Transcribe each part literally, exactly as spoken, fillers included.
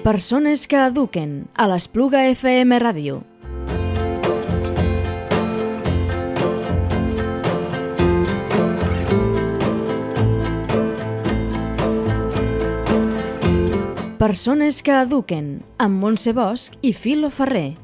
Persones que eduquen a l'Espluga F M Ràdio. Persones que eduquen amb Montse Bosch i Filo Ferrer.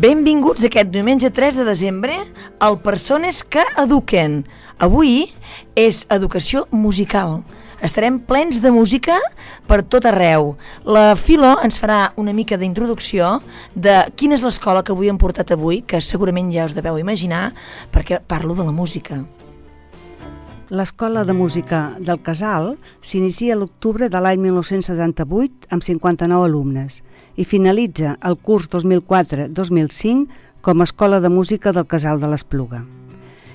Benvinguts aquest diumenge tres de desembre al Persones que eduquen. Avui és educació musical. Estarem plens de música per tot arreu. La Filo ens farà una mica d'introducció de quina és l'escola que avui hem portat avui, que segurament ja us deveu imaginar, perquè parlo de la música. L'Escola de Música del Casal s'inicia a l'octubre de l'any mil nou-cents setanta-vuit amb cinquanta-nou alumnes i finalitza el curs dos mil quatre dos mil cinc com a Escola de Música del Casal de l'Espluga.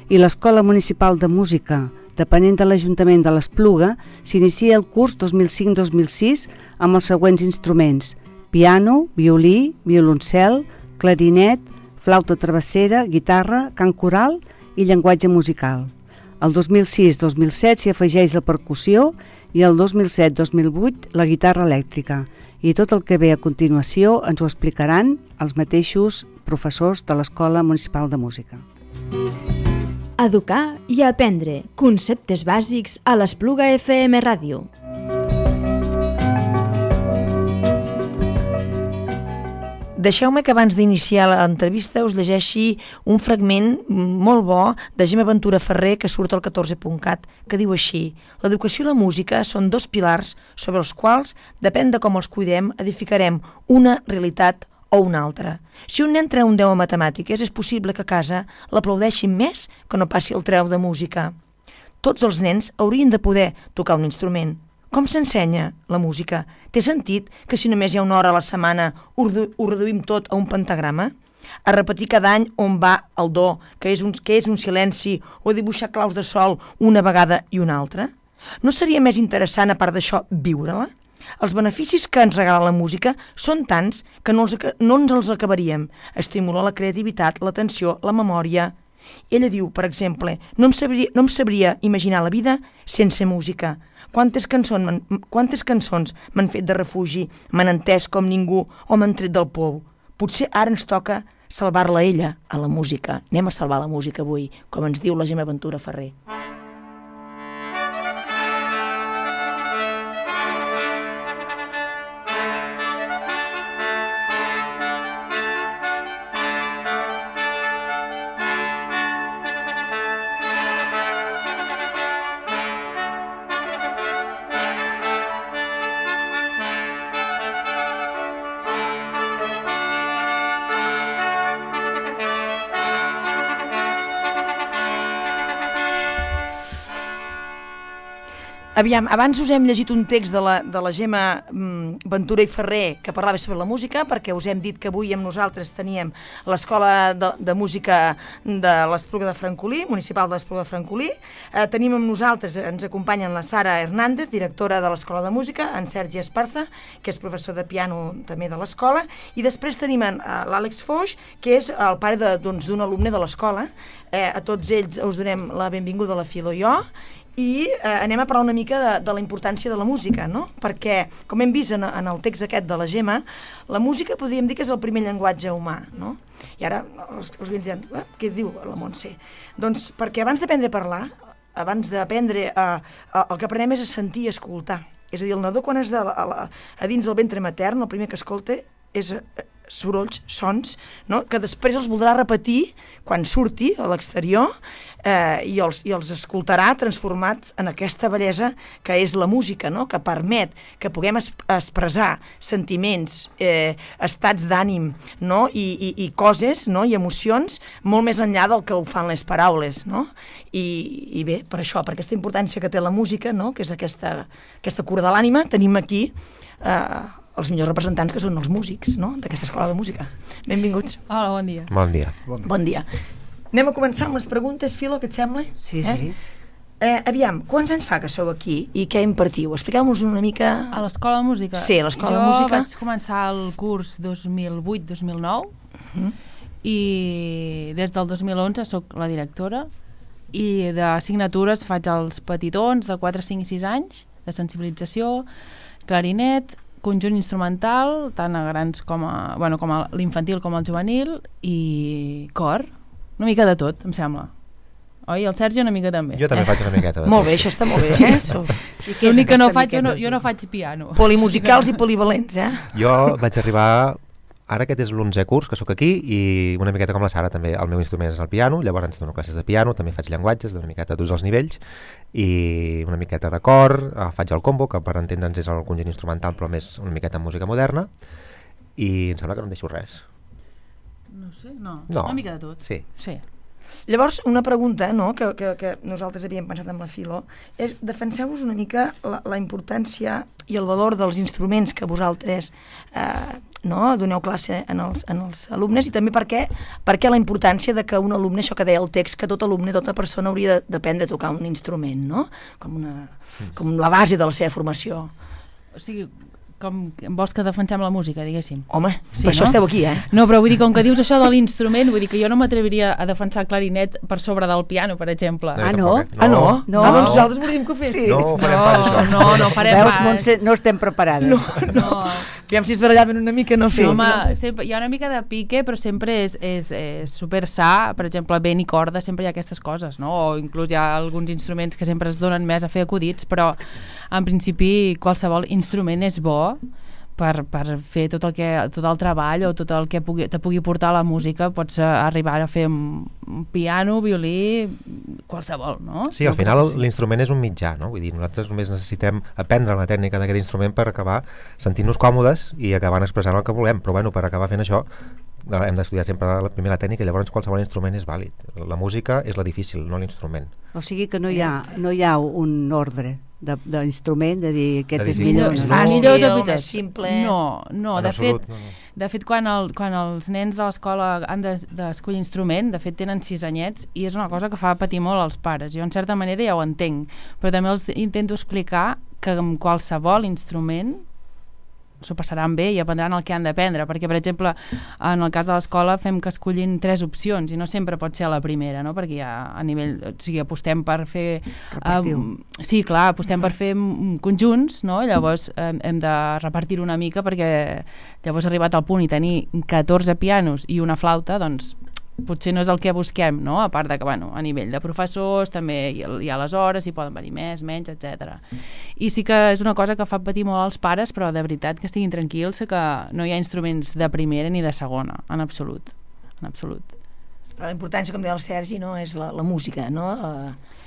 I l'Escola Municipal de Música, depenent de l'Ajuntament de l'Espluga, s'inicia el curs dos mil cinc dos mil sis amb els següents instruments: piano, violí, violoncel, clarinet, flauta travessera, guitarra, cant coral i llenguatge musical. El dos mil sis dos mil set s'hi afegeix la percussió i el dos mil set dos mil vuit la guitarra elèctrica. I tot el que ve a continuació ens ho explicaran els mateixos professors de l'Escola Municipal de Música. Educar i aprendre conceptes bàsics a l'Espluga F M Ràdio. Deixeu-me que abans d'iniciar l'entrevista us llegeixi un fragment molt bo de Gemma Ventura Ferrer que surt al catorze punt cat, que diu així: l'educació i la música són dos pilars sobre els quals, depèn de com els cuidem, edificarem una realitat o una altra. Si un nen treu un deu a matemàtiques, és possible que a casa l'aplaudeixin més que no passi el treu de música. Tots els nens haurien de poder tocar un instrument. Com s'ensenya la música? Té sentit que si només hi ha una hora a la setmana ho reduïm tot a un pentagrama? A repetir cada any on va el do, que és un, que és un silenci, o a dibuixar claus de sol una vegada i una altra? No seria més interessant, a part d'això, viure-la? Els beneficis que ens regala la música són tants que no, els, no ens els acabaríem. Estimula la creativitat, l'atenció, la memòria. Ella diu, per exemple, no em sabria, no em sabria imaginar la vida sense música. Quantes cançons, quantes cançons m'han fet de refugi, m'han entès com ningú o m'han tret del pou. Potser ara ens toca salvar-la ella, a la música. Anem a salvar la música avui, com ens diu la Gemma Ventura Ferrer. Aviam, abans us hem llegit un text de la, de la Gemma Ventura i Ferrer que parlava sobre la música, perquè us hem dit que avui amb nosaltres teníem l'Escola de, de Música de l'Espluga de Francolí, municipal de l'Espluga de Francolí. Eh, tenim amb nosaltres, ens acompanyen la Sara Hernández, directora de l'Escola de Música, en Sergi Esparza, que és professor de piano també de l'escola, i després tenim eh, l'Àlex Foix, que és el pare de, doncs, d'un alumne de l'escola. Eh, a tots ells us donem la benvinguda a la Filo i jo, i eh, anem a parlar una mica de, de la importància de la música, no? Perquè, com hem vist en, en el text aquest de la Gemma, la música podríem dir que és el primer llenguatge humà, no? I ara els, els oients diran, eh, què diu la Montse? Doncs perquè abans d'aprendre a parlar, abans d'aprendre a, a, el que aprenem és a sentir i escoltar. És a dir, el nadó quan és de la, a, la, a dins del ventre matern, el primer que escolta és eh, sorolls, sons, no? Que després els voldrà repetir quan surti a l'exterior eh, i, els, i els escoltarà transformats en aquesta bellesa que és la música, no? Que permet que puguem es, expressar sentiments, eh, estats d'ànim, no? I, i, i coses, no? I emocions molt més enllà del que ho fan les paraules, no? I, i bé, per això, per aquesta importància que té la música, no? Que és aquesta, aquesta cura de l'ànima, tenim aquí eh, els millors representants, que són els músics, no?, d'aquesta escola de música. Benvinguts. Hola, bon dia. Bon dia. Bon dia. Bon dia. Anem a començar amb les preguntes, Filo, què et sembla? Sí, eh? sí. Eh, aviam, quants anys fa que sou aquí i què impartiu? Expliqueu-nos una mica... A l'Escola de Música? Sí, a l'Escola de Música. Jo vaig començar el curs dos mil vuit dos mil nou uh-huh. i des del dos mil onze sóc la directora i d'assignatures faig els petitons de quatre, cinc i sis anys, de sensibilització, clarinet, conjunt instrumental, tant a grans com a, bueno, com a l'infantil com al juvenil, i cor, una mica de tot, em sembla. Oi? El Sergi una mica també. Jo també eh? faig una miqueta de tot. Molt bé, això està molt bé, eh? L'únic que no faig, jo no, jo no faig piano. Polimusicals i polivalents, eh? Jo vaig arribar... Ara aquest és l'onzè curs que sóc aquí i una miqueta com la Sara també, el meu instrument és el piano, llavors dono classes de piano, també faig llenguatges d'una miqueta tots els nivells i una miqueta de cor, faig el combo, que per entendre'ns és el conjunt instrumental però més una miqueta en música moderna i em sembla que no em deixo res. No sé, no, no. Una mica de tot. Sí. Sí. Llavors, una pregunta no, que, que, que nosaltres havíem pensat amb la Filo és, defenseu-vos una mica la, la importància i el valor dels instruments que vosaltres eh, no, doneu classe en els, en els alumnes i també per què, per què la importància de que un alumne, això que deia el text, que tot alumne, tota persona hauria d'aprendre a tocar un instrument, no? Com, una, com la base de la seva formació. O sigui, com vols que defensem la música, diguéssim. Home, sí, per no? això esteu aquí, eh? No, però vull dir, com que dius això de l'instrument, vull dir que jo no m'atreviria a defensar el clarinet per sobre del piano, per exemple. Ah, no? Ah, no? No. Ah, doncs nosaltres volíem que ho fes. Sí. No farem no, pas això. No, no farem Veus, pas. Montse, no estem preparades. No, no. no. Aviam si es barallaven una mica, no fer. No, home, sempre, hi ha una mica de pique, però sempre és, és, és super sa, per exemple, vent i corda, sempre hi ha aquestes coses, no? O inclús hi ha alguns instruments que sempre es donen més a fer acudits, però en principi qualsevol instrument és bo per, per fer tot el, que, tot el treball o tot el que pugui, te pugui portar la música. Pots arribar a fer un piano, violí, qualsevol, no? Sí, al final l'instrument és un mitjà, no? Vull dir, nosaltres només necessitem aprendre la tècnica d'aquest instrument per acabar sentint-nos còmodes i acabant expressant el que volem, però bueno, per acabar fent això hem d'estudiar sempre la primera tècnica i llavors qualsevol instrument és vàlid. La música és la difícil, no l'instrument. O sigui que no hi ha, no hi ha un ordre d'instrument, de, de dir aquest de és millor. És No? fàcil, Millors o més pitjors? simple... No, no, En de absolut, fet, no, no. de fet quan, el, quan els nens de l'escola han d'escollir de, instrument, de fet tenen sis anyets i és una cosa que fa patir molt als pares. Jo en certa manera ja ho entenc, però també els intento explicar que amb qualsevol instrument s'ho passaran bé i aprendran el que han d'aprendre, perquè per exemple en el cas de l'escola fem que escollin tres opcions i no sempre pot ser a la primera, no? Perquè ja a nivell, o sigui, apostem per fer um, sí, clar, apostem per fer um, conjunts, no? Llavors um, hem de repartir una mica perquè llavors arribat al punt i tenir catorze pianos i una flauta, doncs potser no és el que busquem, no? A part de que, bueno, a nivell de professors també hi ha, hi ha les hores, hi poden venir més, menys, etcètera. I sí que és una cosa que fa patir molt als pares, però de veritat que estiguin tranquils que no hi ha instruments de primera ni de segona, en absolut, en absolut. La importància, com deia el Sergi, no? És la, la música, no?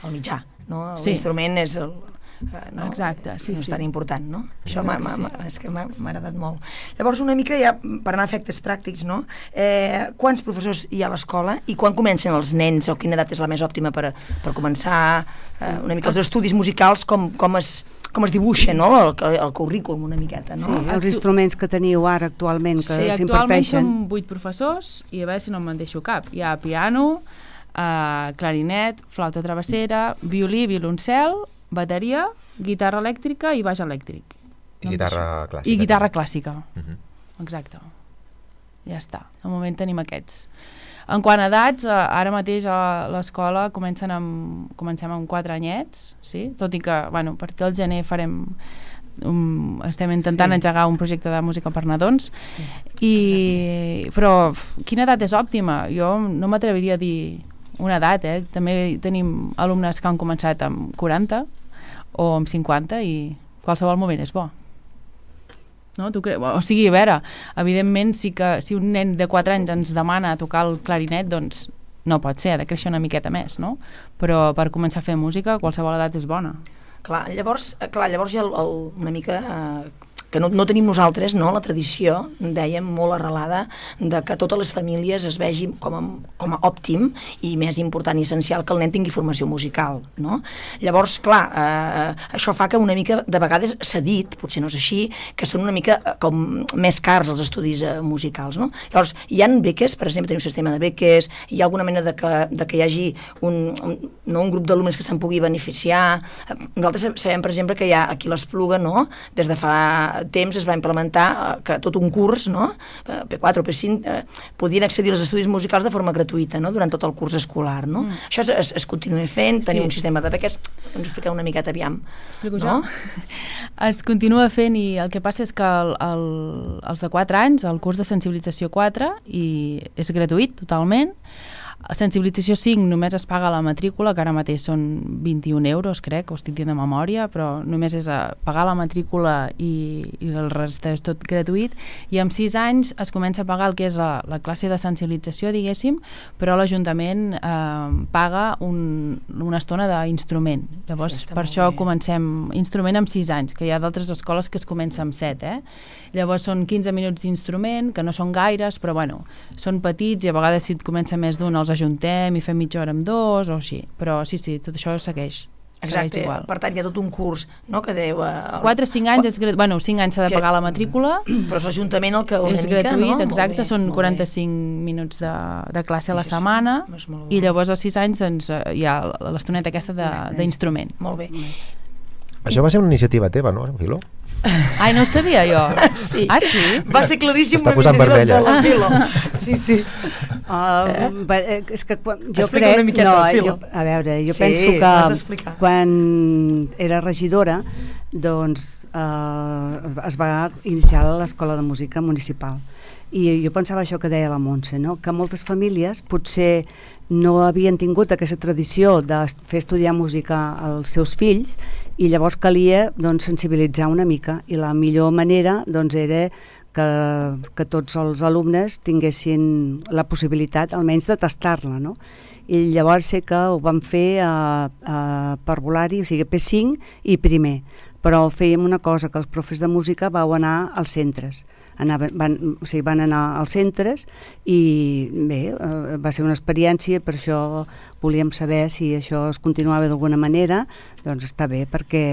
El mitjà, no? L'instrument sí. és el... No, exacte, sí, no és sí. tan important, no? Això sí, m'ha, m'ha, sí. és que m'ha agradat molt. Llavors, una mica ja, per anar a efectes pràctics, no? Eh, quants professors hi ha a l'escola i quan comencen els nens o quina edat és la més òptima per, per començar eh, una mica els estudis musicals, com, com es com es dibuixa, no? El, el currículum una miqueta, no? Sí, els instruments que teniu ara actualment que sí, s'imparteixen. actualment som vuit professors i a veure si no me'n deixo cap. Hi ha piano, eh, clarinet, flauta travessera, violí, violoncel, bateria, guitarra elèctrica i baix elèctric. I guitarra clàssica. I guitarra clàssica, uh -huh. exacte. Ja està, de moment tenim aquests. En quant a edats, ara mateix a l'escola comencen amb, comencem amb quatre anyets, sí? Tot i que, bueno, a partir del gener farem... Um, estem intentant sí. engegar un projecte de música per nadons, sí. I, però quina edat és òptima? Jo no m'atreviria a dir una edat, eh? També tenim alumnes que han començat amb quaranta o amb cinquanta i qualsevol moment és bo. No? Tu cre... O sigui, a veure, evidentment sí que si un nen de quatre anys ens demana tocar el clarinet, doncs no pot ser, ha de créixer una miqueta més, no? Però per començar a fer música qualsevol edat és bona. Clar, llavors, clar, llavors hi ha el, el, una mica... Eh, que no, no tenim nosaltres, no? La tradició, dèiem, molt arrelada de que totes les famílies es vegin com a, com a òptim i més important i essencial que el nen tingui formació musical, no? Llavors, clar, eh, això fa que una mica, de vegades s'ha dit, potser no és així, que són una mica com més cars els estudis eh, musicals, no? Llavors, hi ha beques, per exemple, tenim un sistema de beques, hi ha alguna mena de que, de que hi hagi un, un, no? Un grup d'alumnes que se'n pugui beneficiar. Nosaltres sabem, per exemple, que hi ha aquí l'Espluga, no? Des de fa temps es va implementar que tot un curs, no? P quatre o P cinc, eh, podien accedir als estudis musicals de forma gratuïta, no? Durant tot el curs escolar, no? Mm. Això es, es, es continua fent, tenim sí. un sistema de beques, ens ho expliqueu una miqueta, aviam. Explico no? jo? Es continua fent i el que passa és que el, el, els de quatre anys, el curs de sensibilització quatre, i és gratuït totalment. Sensibilització cinc només es paga la matrícula, que ara mateix són vint-i-un euros, crec, ho estic dient de memòria, però només és a pagar la matrícula i, i el resta és tot gratuït, i amb sis anys es comença a pagar el que és la, la classe de sensibilització, diguéssim, però l'Ajuntament eh, paga un, una estona d'instrument. Llavors, Està per això bé. comencem instrument amb sis anys, que hi ha d'altres escoles que es comença amb set, eh? Llavors són quinze minuts d'instrument, que no són gaires, però bueno, són petits i a vegades si et comença més d'un els ajuntem i fem mitja hora amb dos o així, però sí, sí, tot això segueix. Exacte, igual. Per tant hi ha tot un curs, no?, que deu... Eh, quatre a cinc anys és gratuït, bueno, cinc anys s'ha de que, pagar la matrícula. Però és l'Ajuntament el que una és mica, gratuït, no? exacte, són quaranta-cinc minuts de, de classe a la setmana i llavors als sis anys doncs, hi ha l'estoneta aquesta d'instrument. Molt bé. Això va ser una iniciativa teva, no, Filo? Ai, no ho sabia jo. Sí. Ah, sí? Va ser claríssim una iniciativa de la Filo. Sí, sí. Uh, eh? És que quan, jo Explica crec... una no, jo, a veure, jo sí, penso que quan era regidora doncs uh, es va iniciar l'escola de música municipal. I jo pensava això que deia la Montse, no? Que moltes famílies potser no havien tingut aquesta tradició de fer estudiar música als seus fills i llavors calia doncs, sensibilitzar una mica, i la millor manera doncs, era que, que tots els alumnes tinguessin la possibilitat almenys de tastar-la, no? I llavors sé que ho vam fer a, a parvulari, o sigui P cinc i primer, però fèiem una cosa, que els profes de música vau anar als centres. Anaven, van, o sigui, van anar als centres i bé, eh, va ser una experiència, per això volíem saber si això es continuava d'alguna manera. Doncs està bé, perquè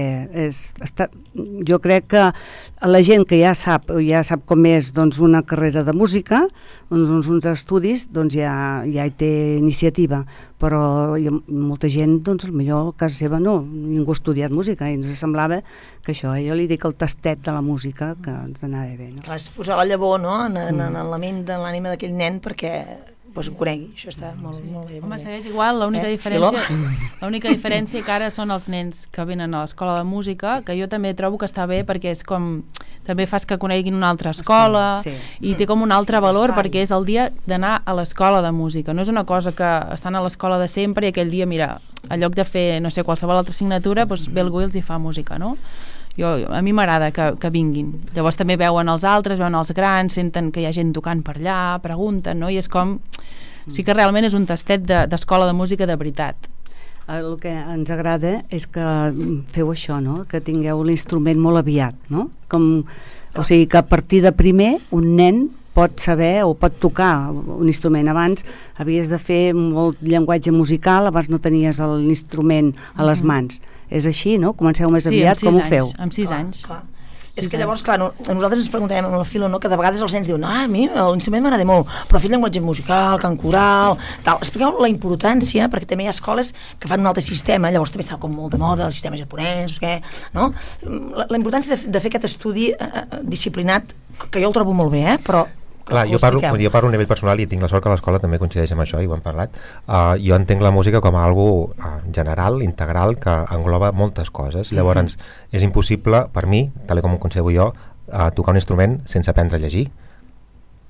és, està, jo crec que la gent que ja sap, ja sap com és doncs, una carrera de música, uns, uns, uns estudis, doncs ja, ja hi té iniciativa, però hi ha molta gent, doncs potser a casa seva no, ningú ha estudiat música i ens semblava que això, jo li dic el tastet de la música, que ens anava bé, no? Clar, és posar la llavor, no?, en, en, en la ment, en l'ànima d'aquell nen perquè pues, ho conegui, això està molt, sí. molt bé. Home, segueix igual, l'única eh? diferència l'única diferència que ara són els nens que venen a l'escola de música, que jo també trobo que està bé perquè és com, també fas que coneguin una altra escola, sí. i té com un altre sí, valor perquè és el dia d'anar a l'escola de música, no és una cosa que estan a l'escola de sempre i aquell dia, mira, en lloc de fer, no sé, qualsevol altra assignatura, doncs ve algú i els hi fa música, no? Jo, a mi m'agrada que, que vinguin. Llavors també veuen els altres, veuen els grans, senten que hi ha gent tocant per allà, pregunten, no? I és com... Sí que realment és un tastet d'escola de, de música de veritat. El que ens agrada és que feu això, no? Que tingueu l'instrument molt aviat, no? Com, o sigui, que a partir de primer un nen pot saber o pot tocar un instrument. Abans havies de fer molt llenguatge musical, abans no tenies l'instrument a les mans. És així, no? Comenceu més sí, aviat, com ho feu? Sí, amb sis clar, anys. Clar. És que llavors, clar, no, nosaltres ens preguntem amb el Filo, no?, que de vegades els nens diuen, ah, a mi l'instrument m'agrada molt, però fer llenguatge musical, cant coral, tal. Expliqueu la importància, perquè també hi ha escoles que fan un altre sistema, llavors també està com molt de moda, el sistema japonès, què, no? La, la importància de, de fer aquest estudi eh, disciplinat, que jo el trobo molt bé, eh, però... Clar, jo parlo, jo parlo a nivell personal i tinc la sort que l'escola també coincideix amb això i ho hem parlat. Uh, jo entenc la música com a algo uh, general, integral, que engloba moltes coses. Llavors mm-hmm. és impossible per mi, tal com ho concebo jo, uh, tocar un instrument sense aprendre a llegir,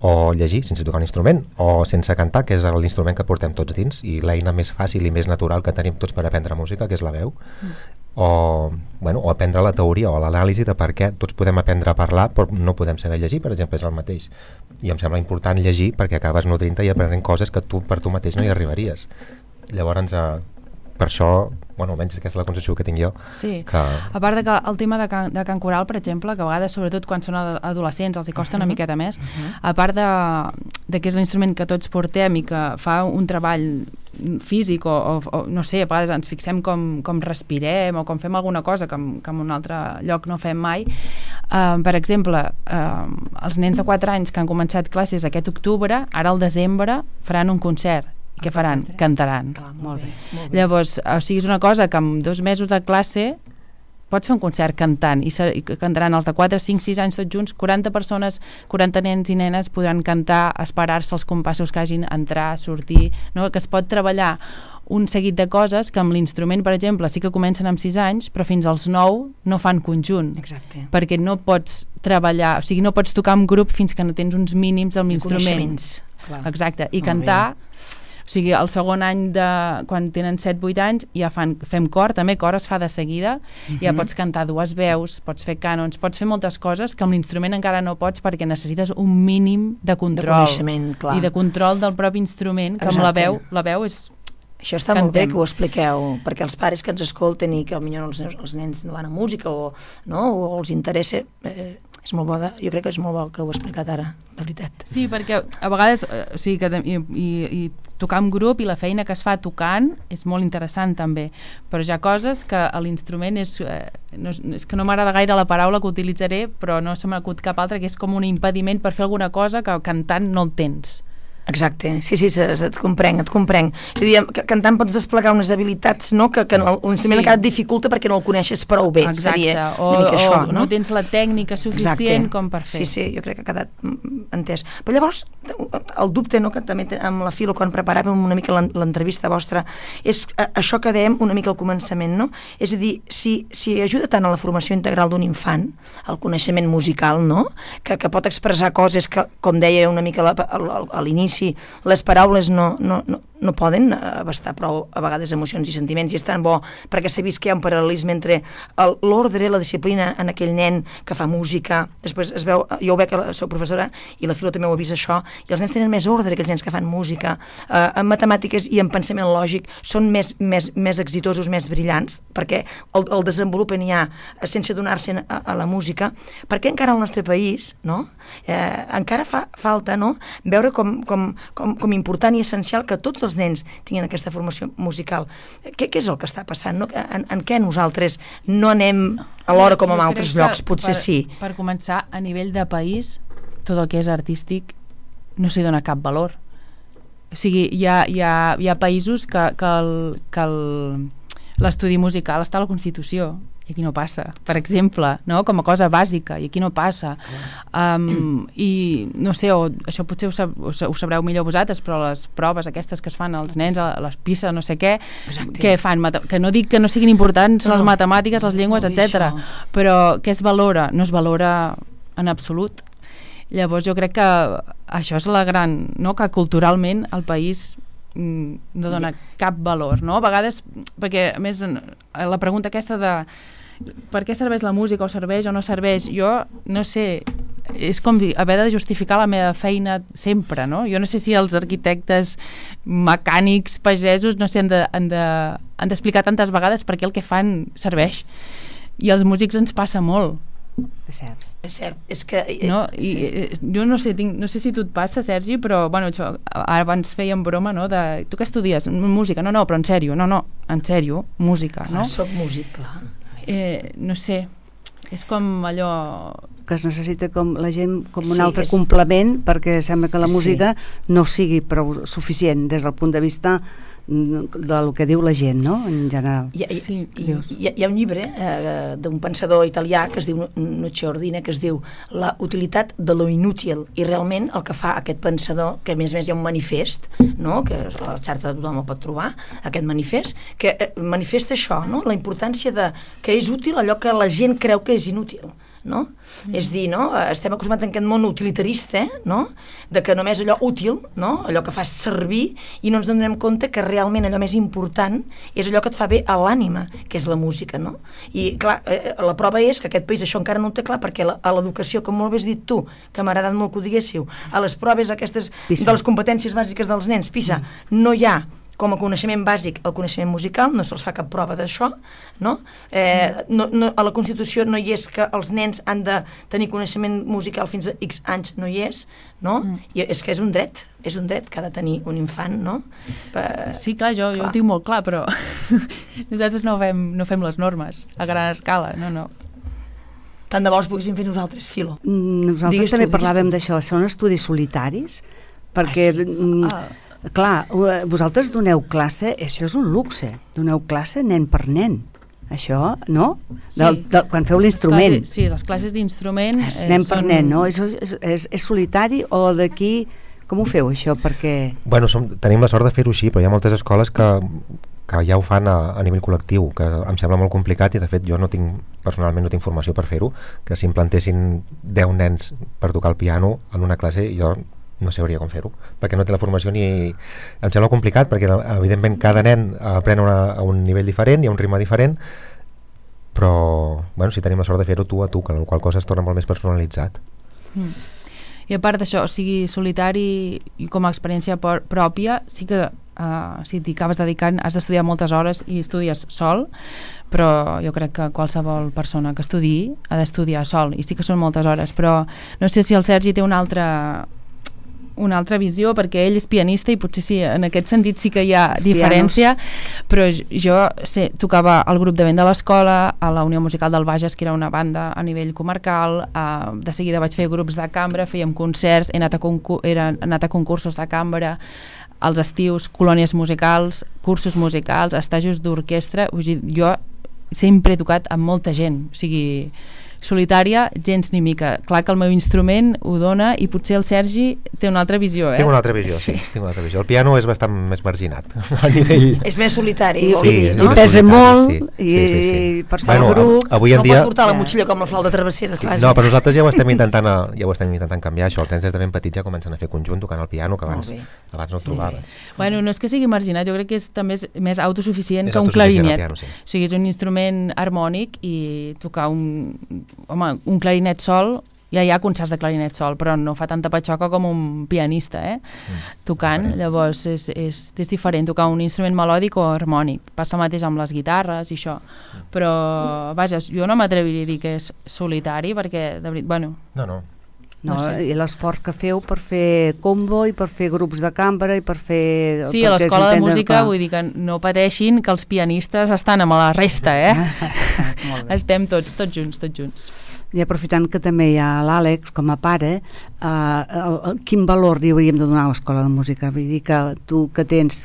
o llegir sense tocar un instrument, o sense cantar, que és l'instrument que portem tots dins i l'eina més fàcil i més natural que tenim tots per aprendre música, que és la veu. Mm. O, bueno, o aprendre la teoria o l'anàlisi de per què tots podem aprendre a parlar però no podem saber llegir, per exemple, és el mateix. I em sembla important llegir perquè acabes nodrint-te i aprenent coses que tu per tu mateix no hi arribaries. Llavors, eh, per això, bueno, almenys aquesta és la concepció que tinc jo. Sí, que... a part de que el tema de can, de cant coral, per exemple, que a vegades, sobretot quan són adolescents, els hi costa una miqueta més, a part de, de que és l'instrument que tots portem i que fa un treball físic o, o, o no sé, a vegades ens fixem com, com respirem o com fem alguna cosa que, que en un altre lloc no fem mai. Uh, per exemple, uh, els nens de quatre anys que han començat classes aquest octubre, ara al desembre faran un concert Què faran? Cantaran. Clar, Molt bé. molt bé. Llavors, o sigui, és una cosa que amb dos mesos de classe pots fer un concert cantant i, ser, i cantaran els de quatre, cinc, sis anys tots junts, quaranta persones, quaranta nens i nenes podran cantar, esperar-se els compassos que hagin, entrar, sortir, no? Que es pot treballar un seguit de coses que amb l'instrument, per exemple, sí que comencen amb sis anys, però fins als nou no fan conjunt. Exacte. Perquè no pots treballar, o sigui, no pots tocar en grup fins que no tens uns mínims amb l'instrument. Coneixements. Clar. Exacte, i Molt cantar, o sigui, el segon any de, quan tenen set vuit anys ja fan, fem cor, també cor es fa de seguida, uh -huh. ja pots cantar dues veus, pots fer cànons, pots fer moltes coses que amb l'instrument encara no pots perquè necessites un mínim de control. De coneixement, clar. I de control del propi instrument, que amb la Exacte. veu, la veu és... Això està Cantem. molt bé que ho expliqueu, perquè els pares que ens escolten i que potser els, els nens no van a música o, no, o els interessa, eh, és molt bo, de, jo crec que és molt bo que ho he explicat ara, la veritat. Sí, perquè a vegades eh, o sigui, que, i, i, i tocar en grup i la feina que es fa tocant és molt interessant també, però hi ha coses que a l'instrument és, eh, no, és que no m'agrada gaire la paraula que utilitzaré, però no se m'acut cap altra, que és com un impediment per fer alguna cosa que cantant no el tens. Exacte, sí, sí, et comprenc, et comprenc. És a dir, cantant pots desplegar unes habilitats, no?, que, que l'instrument Sí. encara et dificulta perquè no el coneixes prou bé. Exacte, seria o, una mica o això, no? no? no tens la tècnica suficient Exacte. com per fer. Sí, sí, jo crec que ha quedat mm, entès. Però llavors, el dubte, no?, que també amb la Filo, quan preparàvem una mica l'en- l'entrevista vostra, és a, això que dèiem una mica al començament, no? És a dir, si, si ajuda tant a la formació integral d'un infant, al coneixement musical, no?, que, que pot expressar coses que, com deia una mica la, a, a l'inici, les paraules no, no, no, no poden abastar prou a vegades emocions i sentiments, i és tan bo perquè s'ha vist que hi ha un paral·lelisme entre el- l'ordre, la disciplina en aquell nen que fa música, després es veu, jo ho veig que la sou professora i la Filo també ho ha vist això, i els nens tenen més ordre, aquells nens que fan música, eh, en matemàtiques i en pensament lògic són més, més, més exitosos, més brillants, perquè el, el desenvolupen ja sense donar-se a, a la música, perquè encara al nostre país, no?, eh, encara fa falta, no?, veure com, com, com, com important i essencial que tots els nens tinguin aquesta formació musical. Què, què és el que està passant? No? En, en què nosaltres no anem alhora com en Jo altres crec que llocs? Potser per, sí. Per començar, a nivell de país, tot el que és artístic no s'hi dona cap valor. O sigui, hi ha, hi ha, hi ha països que, que el, que el, l'estudi musical està a la Constitució, i aquí no passa, per exemple, no? Com a cosa bàsica, i aquí no passa. Um, I no sé, o, això potser ho, sab, ho sabreu millor vosaltres, però les proves aquestes que es fan als nens, a les PISA, no sé què, Exacte. què fan? Mate- que no dic que no siguin importants No, les no. matemàtiques, les llengües, No, i etcètera, això. però què es valora? No es valora en absolut. Llavors jo crec que això és la gran, no? Que culturalment el país mm, no dona cap valor, no? A vegades, perquè a més la pregunta aquesta de per què serveix la música, o serveix o no serveix, jo no sé, és com dir, haver de justificar la meva feina sempre, no? Jo no sé si els arquitectes, mecànics, pagesos, no sé, han de, han de, han d'explicar tantes vegades per què el que fan serveix. I als músics ens passa molt. És cert. És cert, és que... eh, No? I sí. eh, jo no sé, tinc, no sé si tu et passa, Sergi, però bueno, això, ara abans fèiem broma, no? De, tu què estudies? Música? No, no, però en sèrio, no, no, en sèrio, música, Clar, no? soc músic, clar. Eh, no sé, és com allò... Que es necessita com la gent com un Sí, altre és- complement, perquè sembla que la Sí. música no sigui prou suficient des del punt de vista mm, del que diu la gent, no?, en general. Hi ha, hi, Sí. hi, hi, ha, hi ha un llibre eh, d'un pensador italià que es diu Nuccio Ordine, que es diu La utilitat de lo inútil, i realment el que fa aquest pensador, que a més a més hi ha un manifest, no?, que la xarxa de tothom el pot trobar, aquest manifest, que eh, manifesta això, no?, la importància de que és útil allò que la gent creu que és inútil, no? Mm. És dir, no? Estem acostumats en aquest món utilitarista, no? De que només allò útil, no? Allò que fa servir, i no ens donem compte que realment allò més important és allò que et fa bé a l'ànima, que és la música, no? I clar, eh, la prova és que aquest país això encara no ho té clar, perquè la, a l'educació, com molt bé has dit tu, que m'ha agradat molt que ho diguéssiu, a les proves aquestes PISA. de les competències bàsiques dels nens, PISA, mm. no hi ha com a coneixement bàsic el coneixement musical, no se'ls fa cap prova d'això, no? Eh, no, no? A la Constitució no hi és que els nens han de tenir coneixement musical fins a X anys, no hi és, no? Mm. I és que és un dret, és un dret que ha de tenir un infant, no? Per... Sí, clar, jo, jo clar. ho tinc molt clar, però nosaltres no fem, no fem les normes a gran escala, no, no. Tant de bo els poguéssim fer nosaltres, Filo. Mm, Nosaltres Digues tu, també digues parlàvem tu. d'això, són estudis solitaris, perquè Ah, sí? mm, Ah, clar, vosaltres doneu classe, això és un luxe, doneu classe nen per nen. Això, no? Sí. Del, del, quan feu l'instrument. Les classes, sí, les classes d'instrument eh, nen per són... nen, no? És, és, és, és solitari o d'aquí... Com ho feu, això? Perquè... Bueno, som, tenim la sort de fer-ho així, però hi ha moltes escoles que, que ja ho fan a, a nivell col·lectiu, que em sembla molt complicat i, de fet, jo no tinc, personalment no tinc formació per fer-ho, que si implantessin deu nens per tocar el piano en una classe, jo no sabria com fer-ho, perquè no té la formació ni... Em sembla complicat, perquè, evidentment, cada nen aprèn una, a un nivell diferent, hi ha un ritme diferent, però, bueno, si tenim la sort de fer-ho tu a tu, que la qual cosa es torna molt més personalitzat. Mm. I a part d'això, o sigui, solitari i com a experiència por- pròpia, sí que uh, si t'hi acabes dedicant has d'estudiar moltes hores i estudies sol, però jo crec que qualsevol persona que estudiï ha d'estudiar sol, i sí que són moltes hores, però no sé si el Sergi té una altra una altra visió, perquè ell és pianista i potser sí, en aquest sentit sí que hi ha Els diferència, però jo sé, tocava al grup de vent de l'escola, a la Unió Musical del Bages, que era una banda a nivell comarcal, eh, de seguida vaig fer grups de cambra, fèiem concerts, he anat a, concur he anat a concursos de cambra, als estius, colònies musicals, cursos musicals, estajos d'orquestra, vull dir, jo sempre he tocat amb molta gent, o sigui, solitària, gens ni mica. Clar que el meu instrument ho dona i potser el Sergi té una altra visió, eh? Tinc una altra visió, sí. sí tinc una altra visió. El piano és bastant més marginat a nivell... És més solitari. I, vol sí, dir, no? no? I pesa molt, sí. i, Sí, sí, sí. i per fer Bueno, el grup... avui en no dia... pots portar la motxilla com la flauta travessera. Sí, clar, no, però nosaltres ja ho estem intentant a, ja ho estem intentant canviar, això. Els nens des de ben petits ja comencen a fer conjunt tocant el piano, que abans, abans no el trobaves. Bueno, no és que sigui marginat, jo crec que és també és més autosuficient És que un autosuficient el clarinet. piano, sí. O sigui, és un instrument harmònic i tocar un... Home, un clarinet sol, ja hi ha concerts de clarinet sol, però no fa tanta patxoca com un pianista, eh? Mm. Tocant, llavors és, és, és diferent tocar un instrument melòdic o harmònic. Passa el mateix amb les guitarres i això. Però, vaja, jo no m'atreviria a dir que és solitari, perquè, de veritat, bueno... No, no. No, No sé. I l'esforç que feu per fer combo i per fer grups de cambra i per fer... Sí, a l'escola de música, vull dir que no pateixin que els pianistes estan amb la resta, eh? Estem tots, tots junts, tots junts. I aprofitant que també hi ha l'Àlex com a pare, eh, el, el, quin valor li hauríem de donar a l'escola de música? Vull dir que tu que tens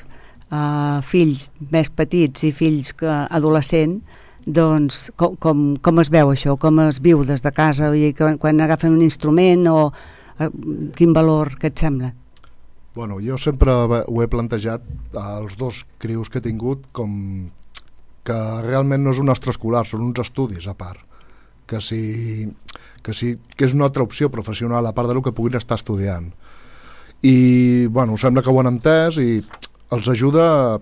eh, fills més petits i fills que adolescent, doncs com, com, com es veu això, com es viu des de casa, vull dir, que quan agafen un instrument o eh, quin valor que et sembla? Bueno, jo sempre ho he plantejat als dos crius que he tingut com que realment no és un extraescolar, són uns estudis a part, que, si, que, si, que és una altra opció professional a part del que puguin estar estudiant. I bueno, sembla que ho han entès i els ajuda,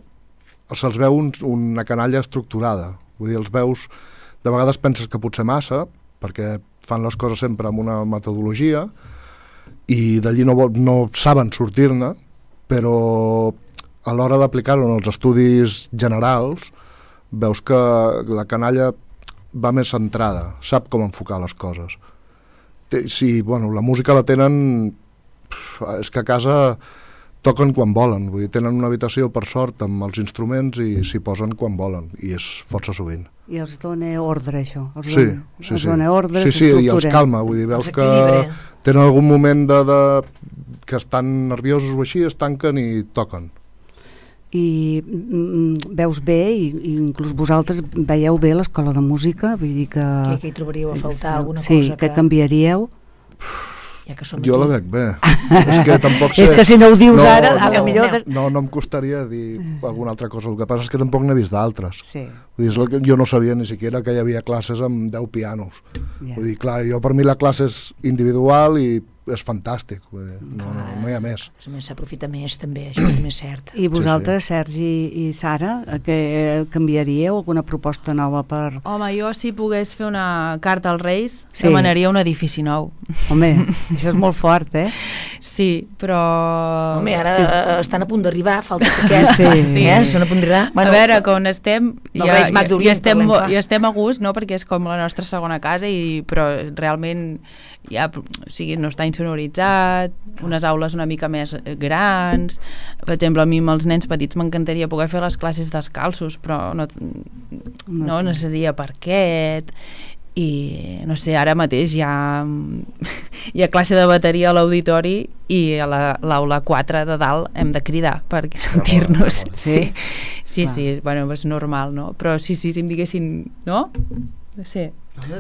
se'ls veu un, una canalla estructurada. Vull dir, els veus, de vegades penses que potser massa, perquè fan les coses sempre amb una metodologia i d'allí no, no saben sortir-ne, però a l'hora d'aplicar-ho en els estudis generals veus que la canalla va més centrada, sap com enfocar les coses. Sí, bueno, la música la tenen... És que a casa toquen quan volen, vull dir, tenen una habitació per sort amb els instruments i s'hi posen quan volen, i és força sovint. I els dona ordre, això? Els Sí, dona, sí, els sí. dona ordre, sí, sí, i els calma, vull dir, veus que tenen algun moment de, de, que estan nerviosos o així, es tanquen i toquen. I mm, veus bé, i, i inclús vosaltres veieu bé l'escola de música, vull dir que... Que, que hi trobaríeu a faltar alguna sí, cosa que... que canviaríeu? Ja que som jo aquí. la veig bé. És que tampoc sé... És que si no ho dius no, ara, no, a la millor... No, no, no em costaria dir alguna altra cosa. El que passa és que tampoc n'he vist d'altres. Sí. Vull dir, és el que jo no sabia ni siquiera que hi havia classes amb deu pianos. Yeah. Vull dir, clar, jo per mi la classe és individual i és fantàstic. Vull dir, no, no, no hi ha més. A més, s'aprofita més també, això també és cert. I vosaltres, sí, sí. Sergi i Sara, que canviaríeu alguna proposta nova per... Home, jo si pogués fer una carta als Reis, Sí. demanaria un edifici nou. Home, això és molt fort, eh? Sí, però... Home, ara eh, estan a punt d'arribar, falta poquet. Sí. sí. Eh? Estan a punt d'arribar. Bueno, a veure, com estem, dels ja, Reis Mags ja, d'Orient ja, estem, parlem, clar. ja estem a gust, no? Perquè és com la nostra segona casa, i, però realment ja, o sigui, no està insonoritzat, unes aules una mica més grans. Per exemple, a mi amb els nens petits m'encantaria poder fer les classes descalços, però no, no, no seria parquet. i no sé, ara mateix hi ha, hi ha classe de bateria a l'auditori i a la- l'aula quatre de dalt hem de cridar per sentir-nos. Sí, sí, sí, bueno, és normal, no? Però sí, sí, si em diguessin, no? Sí.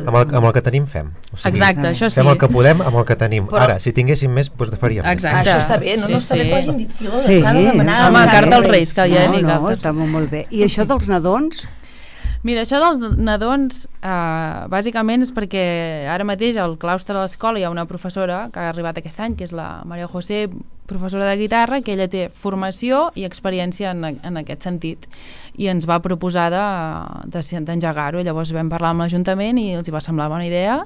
Amb el, amb el que tenim fem. O sigui, Exacte, això sí. fem el que podem amb el que tenim. Però- Ara, si tinguéssim més, doncs faríem més. Exacte. Això està bé, no? Sí, no està bé sí. que hagin dit fila, Sí, s'ha de demanar. Home, al carta als Reis. Reis, que ja no, dic no, altres. està molt, molt bé. I això dels nadons? Mira, això dels nadons, eh, bàsicament és perquè ara mateix al claustre de l'escola hi ha una professora que ha arribat aquest any, que és la Maria José, professora de guitarra, que ella té formació i experiència en, en aquest sentit, i ens va proposar de- de- d'engegar-ho. Llavors vam parlar amb l'Ajuntament i els hi va semblar bona idea,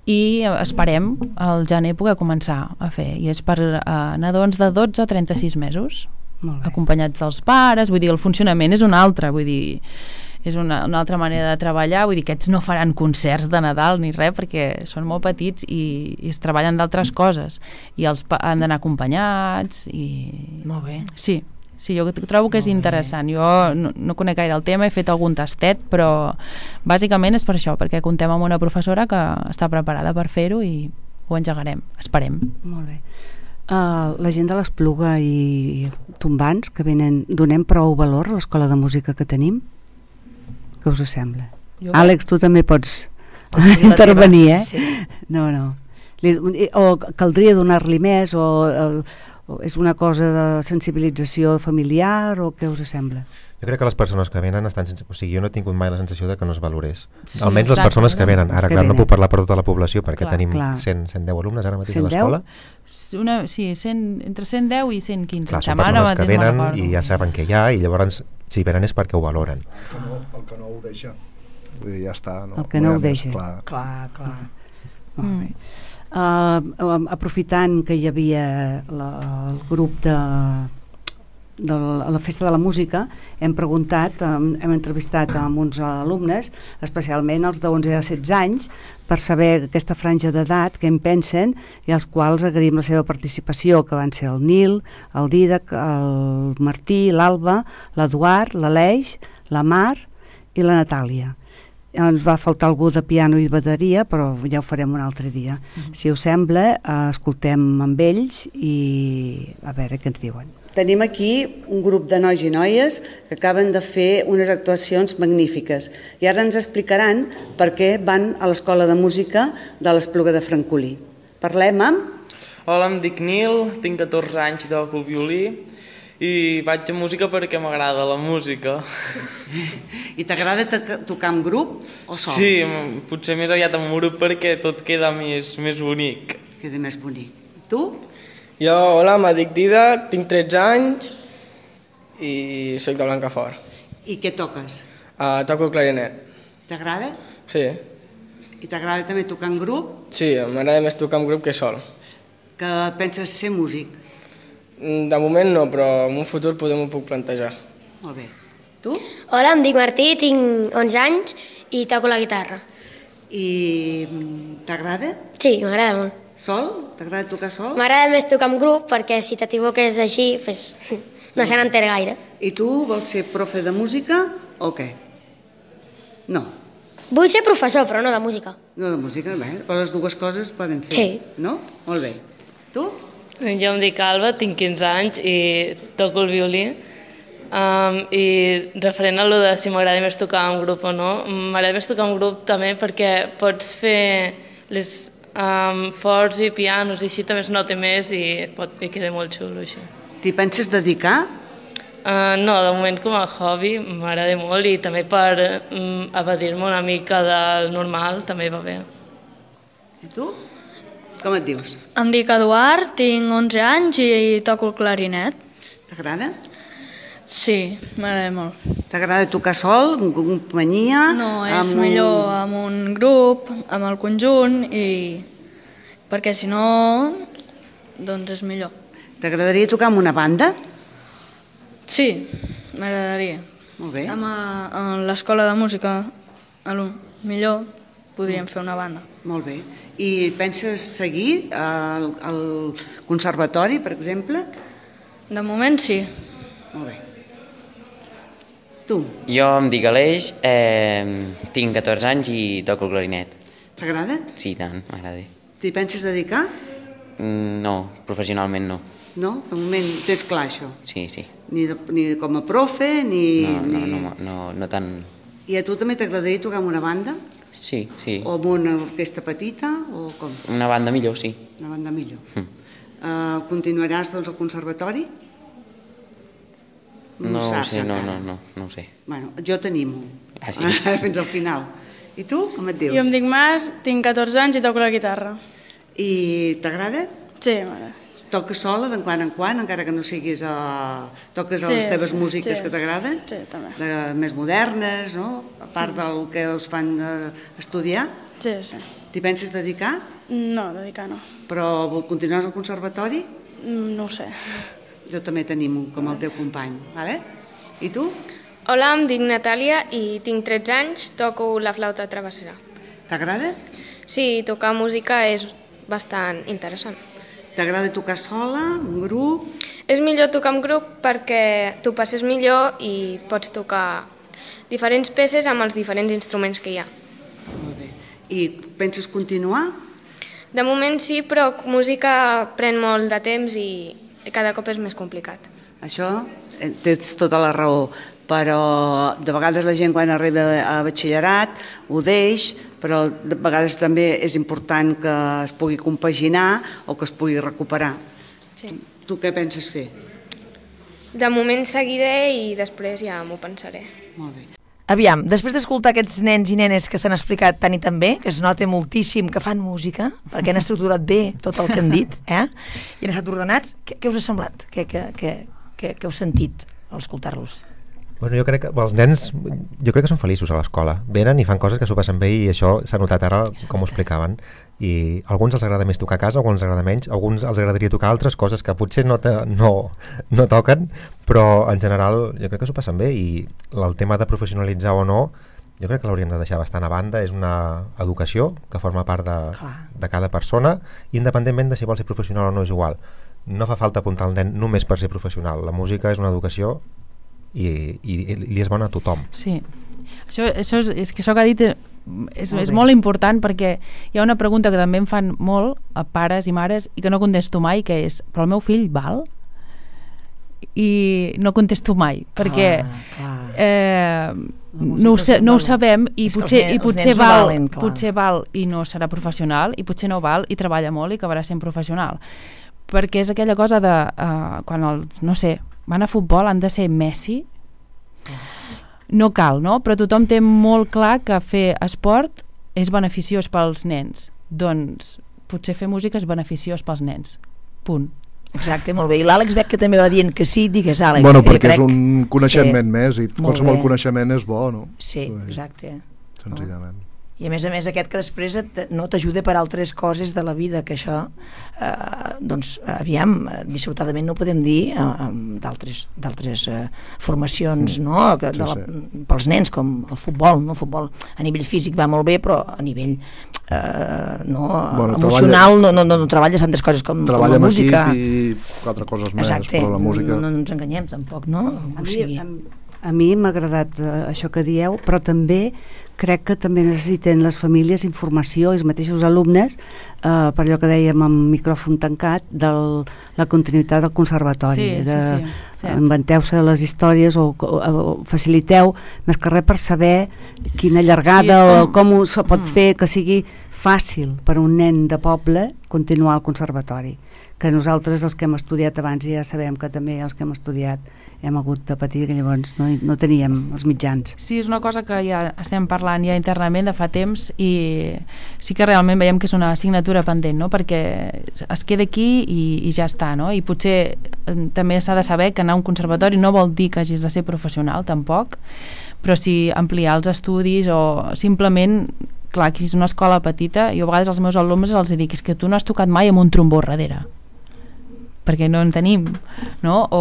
i esperem al gener poder començar a fer, i és per eh, nadons de dotze a trenta-sis mesos, Molt bé. acompanyats dels pares. Vull dir, el funcionament és un altre, vull dir, és una, una altra manera de treballar. Vull dir, aquests no faran concerts de Nadal ni res, perquè són molt petits i, i es treballen d'altres coses, i els pa- han d'anar acompanyats i... Molt bé. Sí, sí, jo trobo que és interessant. Jo no, no conec gaire el tema, he fet algun tastet, però bàsicament és per això, perquè contem amb una professora que està preparada per fer-ho i ho engegarem, esperem. Molt bé. Uh, la gent de l'Espluga i Tombants que venen, donem prou valor a l'escola de música que tenim? Què us sembla? Jo Àlex, tu també pots Pots dir la intervenir, teva, eh? sí. No, no. Li, o caldria donar-li més, o, o, o és una cosa de sensibilització familiar, o què us sembla? Jo crec que les persones que venen estan sense... O sigui, jo no he tingut mai la sensació de que no es valorés. Sí, Almenys les exacte. persones que venen. Els Ara, que clar, no venen. puc parlar per tota la població perquè Clar, tenim clar. cent, cent deu alumnes ara mateix a cent deu? l'escola. Una, sí, cent, entre cent deu i cent quinze. Clar, em són sembla, ara persones que mateix no venen recordo. i ja saben què hi ha, i llavors si venen és perquè ho valoren. El que no, el que no ho deixa. Vull dir, ja està. No, El que no hi ha ho més, deixa. Clar. Clar, clar. Molt bé. Uh, aprofitant que hi havia la, el grup de, de la, la Festa de la Música, hem preguntat, hem, hem entrevistat amb uns alumnes, especialment els d'onze a setze anys, per saber aquesta franja d'edat, què en pensen, i als quals agraïm la seva participació, que van ser el Nil, el Didac, el Martí, l'Alba, l'Eduard, l'Aleix, la Mar i la Natàlia. Ens va faltar algú de piano i bateria, però ja ho farem un altre dia. Mm-hmm. Si us sembla, eh, escoltem amb ells i a veure què ens diuen. Tenim aquí un grup de nois i noies que acaben de fer unes actuacions magnífiques i ara ens explicaran per què van a l'Escola de Música de l'Espluga de Francolí. Parlem amb... Hola, em dic Nil, tinc catorze anys i toco el violí i vaig a música perquè m'agrada la música. I t'agrada to- tocar amb grup o sol? Sí, m- potser més aviat amb un grup perquè tot queda més, més bonic. Queda més bonic. Tu? Jo, hola, em dic Didac, tinc tretze anys i soc de Blancafort. I què toques? Uh, toco el clarinet. T'agrada? Sí, I t'agrada també tocar en grup? sí, m'agrada més tocar amb grup que sol. Que penses ser músic? Mm, De moment no, però en un futur podem ho puc plantejar. Molt bé. Tu? Hola, em dic Martí, tinc onze anys i toco la guitarra. I mm, t'agrada? Sí, m'agrada molt. Sol? T'agrada tocar sol? M'agrada més tocar en grup perquè si t'equivoques així, pues, no se n'entén gaire. I tu vols ser profe de música o què? No, Vull ser professor, però no de música. no de música, bé, però les dues coses es poden fer, Sí. no? Molt bé. Tu? Jo em dic Alba, tinc quinze anys i toco el violí. Um, I referent a lo de si m'agrada més tocar en grup o no, m'agrada més tocar en grup també perquè pots fer les um, forts i pianos i així també es nota més i, pot, i queda molt xulo així. T'hi penses dedicar? Uh, no, de moment com a hobby m'agrada molt i també per um, evadir-me una mica del normal també va bé. I tu? Com et dius? Em dic Eduard, tinc onze anys i toco el clarinet. T'agrada? Sí, m'agrada molt. T'agrada tocar sol, en companyia? No, és amb un- millor amb un grup, amb el conjunt, i perquè si no, doncs és millor. T'agradaria tocar amb una banda? Sí, m'agradaria. Molt bé. Amb, a- a l'escola de música, a lo millor podríem fer una banda. Molt bé. I penses seguir al, al conservatori, per exemple? De moment sí. Molt bé. Tu? Jo em dic Aleix, eh, tinc catorze anys i toco el clarinet. T'agrada? Sí, tant, m'agrada. T'hi penses dedicar? Mm, no, professionalment no. No? De moment tens clar això? Sí, sí. Ni, de, ni com a profe, ni... No, no, ni... no, no, no tant... I a tu també t'agradaria tocar en una banda? Sí, sí. O en una orquestra petita, o com? Una banda millor, sí. Una banda millor. Mm. Uh, continuaràs, doncs, al conservatori? No, no ho saps, sé, no, encara. no, no, no ho sé. Bueno, jo t'animo. Ah, sí? Fins al final. I tu, com et dius? Jo em dic Mar, tinc catorze anys i toco la guitarra. I t'agrada? Sí, m'agrada. Toques sola de quan en quan, encara que no siguis a... Toques a Sí, les teves sí, músiques sí. que t'agraden? Sí, també. De, més modernes, no? A part del que us fan eh, estudiar? Sí, sí. T'hi penses dedicar? No, dedicar no. Però continuaràs al conservatori? Mm, No ho sé. Jo també t'animo, com el teu company, vale? I tu? Hola, em dic Natàlia i tinc tretze anys, toco la flauta travessera. T'agrada? Sí, tocar música és bastant interessant. T'agrada tocar sola, en grup? És millor tocar en grup perquè tu passes millor i pots tocar diferents peces amb els diferents instruments que hi ha. Molt bé. I penses continuar? De moment sí, però música pren molt de temps i cada cop és més complicat. Això eh, tens tota la raó, però de vegades la gent quan arriba a batxillerat ho deix, però de vegades també és important que es pugui compaginar o que es pugui recuperar. Sí. Tu què penses fer? De moment seguiré i després ja m'ho pensaré. Molt bé. Aviam, després d'escoltar aquests nens i nenes que s'han explicat tant i tan bé, que es nota moltíssim que fan música, perquè han estructurat bé tot el que han dit, eh? I han estat ordenats, què, què us ha semblat? Què, què, què, què, què heu sentit al escoltar-los? Bueno, jo crec que els nens, jo crec que són feliços a l'escola. Venen i fan coses que s'ho passen bé i això s'ha notat ara, com ho explicaven. I a alguns els agrada més tocar a casa, a alguns els agrada menys, a alguns els agradaria tocar altres coses que potser no, te, no, no toquen, però en general jo crec que s'ho passen bé i el tema de professionalitzar o no, jo crec que l'hauríem de deixar bastant a banda. És una educació que forma part de, de cada persona, i independentment de si vol ser professional o no és igual. No fa falta apuntar el nen només per ser professional. La música és una educació i, i, i li és bona a tothom. Sí, això, això és, és que això que ha dit és, és molt important, perquè hi ha una pregunta que també em fan molt a pares i mares i que no contesto mai, que és: però el meu fill val? I no contesto mai perquè ah, eh, no, ho sa, no ho sabem i és potser, nens, i potser no val, valen, potser val i no serà professional, i potser no val i treballa molt i acabarà sent professional, perquè és aquella cosa de uh, quan el, no sé, van a futbol, han de ser Messi, no cal, no? Però tothom té molt clar que fer esport és beneficiós pels nens, doncs potser fer música és beneficiós pels nens, punt. Exacte, molt bé. I l'Àlex veig que també va dient que sí, digues, Àlex. Bueno, perquè crec... és un coneixement sí. més, i qualsevol coneixement és bo, no? Sí, exacte. Senzillament. I a més a més aquest que després et, no t'ajuda per altres coses de la vida, que això eh, doncs aviam, dissortadament no ho podem dir eh, d'altres d'altres eh, formacions, mm. no? Que de la, sí, sí. Pels nens, com el futbol, no? El futbol a nivell físic va molt bé, però a nivell eh, no, bueno, emocional treballa, no, no, no, no treballes tantes coses com, com la música. Treballa amb equip i quatre coses més, exacte, però la música... no, no ens enganyem tampoc, no? A mi, a, a mi m'ha agradat uh, això que dieu, però també crec que també necessiten les famílies informació, els mateixos alumnes, eh, per allò que dèiem amb micròfon tancat, de la continuïtat del conservatori. Sí, de, sí, sí, inventeu-se les històries o, o, o faciliteu, més que res per saber quina llargada sí, com... o com ho pot mm. fer que sigui fàcil per a un nen de poble continuar al conservatori, que nosaltres els que hem estudiat abans ja sabem que també els que hem estudiat hem hagut de patir, que llavors no, no teníem els mitjans. Sí, és una cosa que ja estem parlant ja internament de fa temps, i sí que realment veiem que és una assignatura pendent, no? Perquè es queda aquí i, i ja està, no? I potser eh, també s'ha de saber que anar a un conservatori no vol dir que hagis de ser professional tampoc, però sí ampliar els estudis o simplement, clar, que és una escola petita, jo a vegades als meus alumnes els dic, és que tu no has tocat mai amb un trombó darrere, perquè no en tenim, no? O,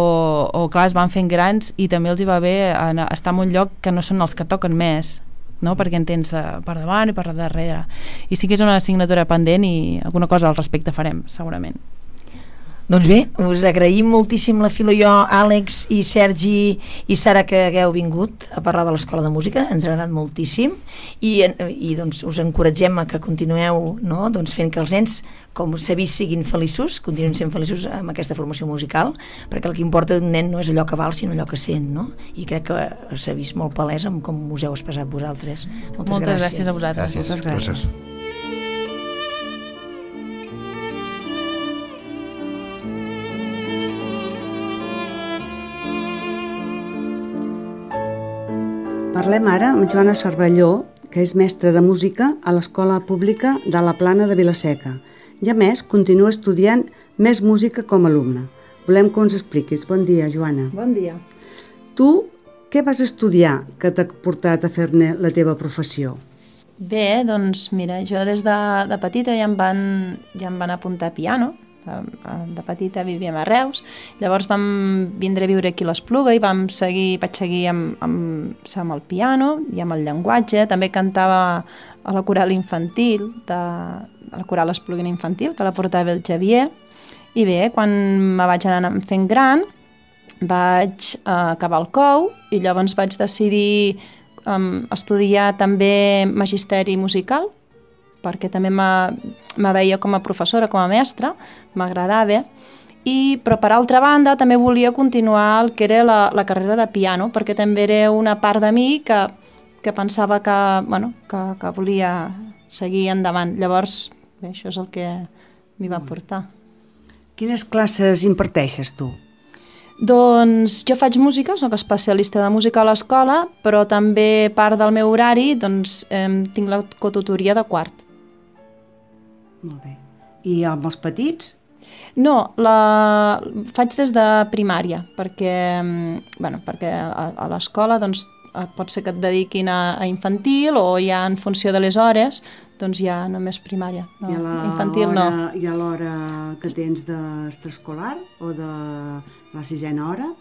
o clar, es van fent grans i també els hi va bé anar, estar en un lloc que no són els que toquen més, no? Perquè en tens per davant i per darrere, i sí que és una assignatura pendent i alguna cosa al respecte farem, segurament. Doncs bé, us agraïm moltíssim la Filo i jo, Àlex i Sergi i Sara, que hagueu vingut a parlar de l'Escola de Música, ens ha agradat moltíssim i, i doncs, us encoratgem a que continueu, no? doncs, fent que els nens, com s'ha vist, siguin feliços, continuïn sent feliços amb aquesta formació musical, perquè el que importa d'un nen no és allò que val, sinó allò que sent, no? I crec que s'ha vist molt palès amb com us heu expressat vosaltres. Moltes, Moltes gràcies. gràcies a vosaltres. Gràcies. Moltes gràcies. Gràcies. Parlem ara amb Joana Cervelló, que és mestra de música a l'Escola Pública de la Plana de Vilaseca. I a més, continua estudiant més música com a alumna. Volem que ens expliquis. Bon dia, Joana. Bon dia. Tu, què vas estudiar que t'ha portat a fer-ne la teva professió? Bé, doncs mira, jo des de, de petita ja em, van, ja em van apuntar a piano. De petita vivíem a Reus, llavors vam vindre a viure aquí a l'Espluga i vam seguir, vaig seguir amb, amb, amb el piano i amb el llenguatge. També cantava a la coral infantil, de, a la coral Espluguina infantil, que la portava el Xavier. I bé, quan me vaig anar fent gran, vaig uh, acabar el cou i llavors vaig decidir um, estudiar també magisteri musical, perquè també me veia com a professora, com a mestra, m'agradava, i, però per altra banda també volia continuar el que era la, la carrera de piano, perquè també era una part de mi que, que pensava que, bueno, que, que volia seguir endavant. Llavors, bé, això és el que m'hi va portar. Quines classes imparteixes tu? Doncs jo faig música, soc especialista de música a l'escola, però també part del meu horari doncs, eh, tinc la cotutoria de quart. Molt bé. I amb els petits? No, la faig des de primària, perquè, bueno, perquè a, a l'escola doncs, pot ser que et dediquin a, a infantil o ja en funció de les hores, doncs ja només primària. No, I a la infantil hora, no. I a l'hora que tens d'extraescolar o de la sisena hora?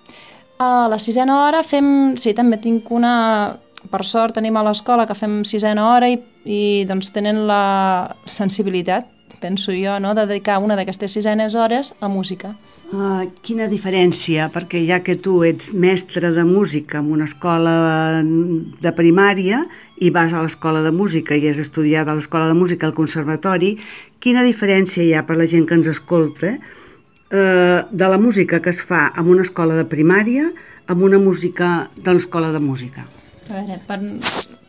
A la sisena hora fem, sí, també tinc una... Per sort tenim a l'escola que fem sisena hora i, i doncs tenen la sensibilitat, penso jo, no? de dedicar una d'aquestes sisenes hores a música. Uh, quina diferència, perquè ja que tu ets mestre de música en una escola de primària i vas a l'escola de música i has estudiat a l'escola de música al conservatori, quina diferència hi ha per la gent que ens escolta uh, de la música que es fa en una escola de primària amb una música de l'escola de música? A veure, per,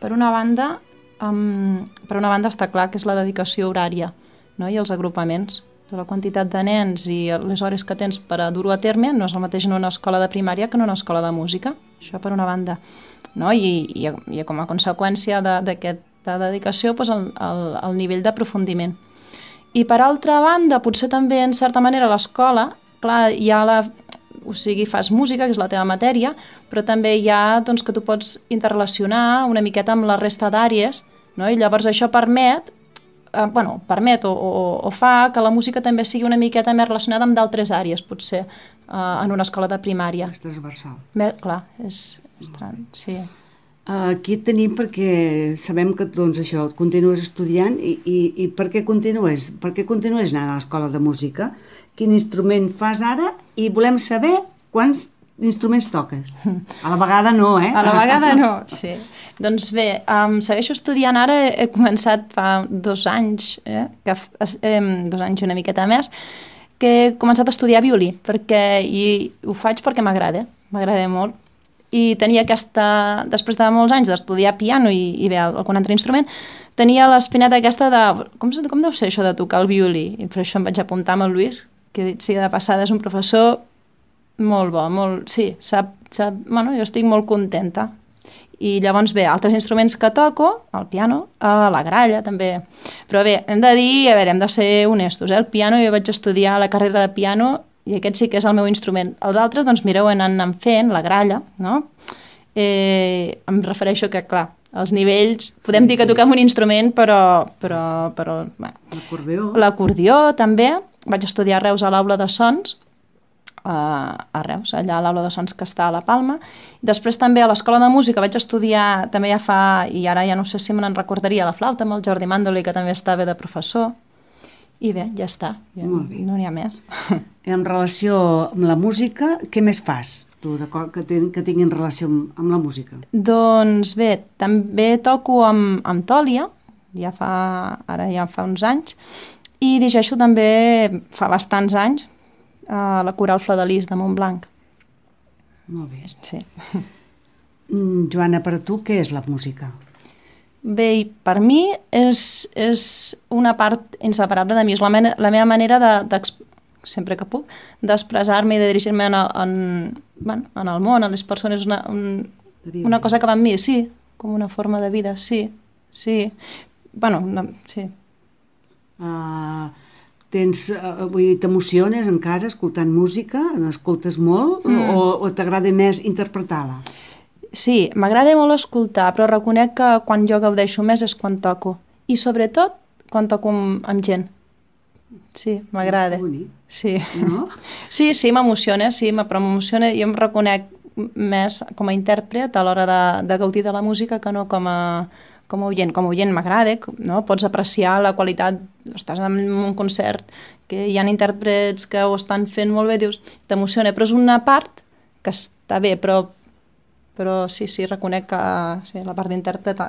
per una banda, um, per una banda està clar que és la dedicació horària, no? I els agrupaments. De la quantitat de nens i les hores que tens per a dur-ho a terme no és el mateix en una escola de primària que en una escola de música. Això per una banda. No? I, i, i com a conseqüència d'aquesta de, dedicació, doncs el, el, el nivell d'aprofundiment. I per altra banda, potser també en certa manera a l'escola, clar, hi ha la... O sigui, fas música, que és la teva matèria, però també hi ha doncs, que tu pots interrelacionar una miqueta amb la resta d'àrees, no? I llavors això permet, eh, bueno, permet o, o, o fa que la música també sigui una miqueta més relacionada amb d'altres àrees, potser, eh, en una escola de primària. És transversal. Bé, clar, és, és tran... sí. Aquí et tenim perquè sabem que doncs, això, continues estudiant i, i, i per què continues? Per què continues anant a l'escola de música? Quin instrument fas ara? I volem saber quants instruments toques. A la vegada no, eh? A la vegada no, sí. Doncs bé, um, segueixo estudiant ara, he, he començat fa dos anys, eh, que, eh, dos anys i una miqueta més, que he començat a estudiar violí, perquè, i ho faig perquè m'agrada, m'agrada molt. I tenia aquesta, després de molts anys d'estudiar piano i, i bé, algun altre instrument, tenia l'espineta aquesta de, com, com deu ser això de tocar el violí? I per això em vaig apuntar amb el Lluís, que dit sigui de passada és un professor molt bo, molt, sí, sap, sap, bueno, jo estic molt contenta. I llavors bé, altres instruments que toco, el piano, a la gralla també, però bé, hem de dir, a veure, hem de ser honestos, eh? El piano, jo vaig estudiar la carrera de piano i aquest sí que és el meu instrument. Els altres, doncs mireu, han anat fent, la gralla, no? Eh, em refereixo que, clar, els nivells, podem dir que toquem un instrument, però... però, però bueno. L'acordió. L'acordió, també. Vaig estudiar a Reus a l'Aula de Sons, a, a Reus, allà a l'Aula de Sons que està a la Palma. Després també a l'Escola de Música vaig estudiar, també ja fa, i ara ja no sé si me n'en recordaria, la flauta amb el Jordi Mandoli, que també estava de professor. i bé, ja està, ja, no n'hi ha més. En relació amb la música, què més fas, tu, que, ten, que tinguin relació amb, amb la música? Doncs bé, també toco amb, amb Tòlia, ja fa, ara ja fa uns anys, i dirigeixo també fa bastants anys a la Coral Flor de Lis de Montblanc. Molt bé. Sí. Joana, per a tu què és la música? Bé, i per mi és, és una part inseparable de mi, és la, mena, la meva manera de, de, sempre que puc, d'expressar-me i de dirigir-me en, en, bueno, en el món, a les persones, una, un, una cosa que va amb mi, sí, com una forma de vida, sí, sí, bueno, no, sí. Uh, tens, uh, vull dir, t'emociones encara escoltant música, n'escoltes molt, mm. o, o t'agrada més interpretar-la? Sí, m'agrada molt escoltar, però reconec que quan jo gaudeixo més és quan toco. I sobretot quan toco amb, amb gent. Sí, m'agrada. Sí. No? Sí, sí, m'emociona, sí, però m'emociona, jo em reconec més com a intèrpret a l'hora de, de gaudir de la música que no com a, com a oient. Com a oient m'agrada, no? Pots apreciar la qualitat, estàs en un concert que hi ha intèrprets que ho estan fent molt bé, dius, t'emociona, però és una part que està bé, però però sí, sí, reconec que sí, la part d'intèrpret...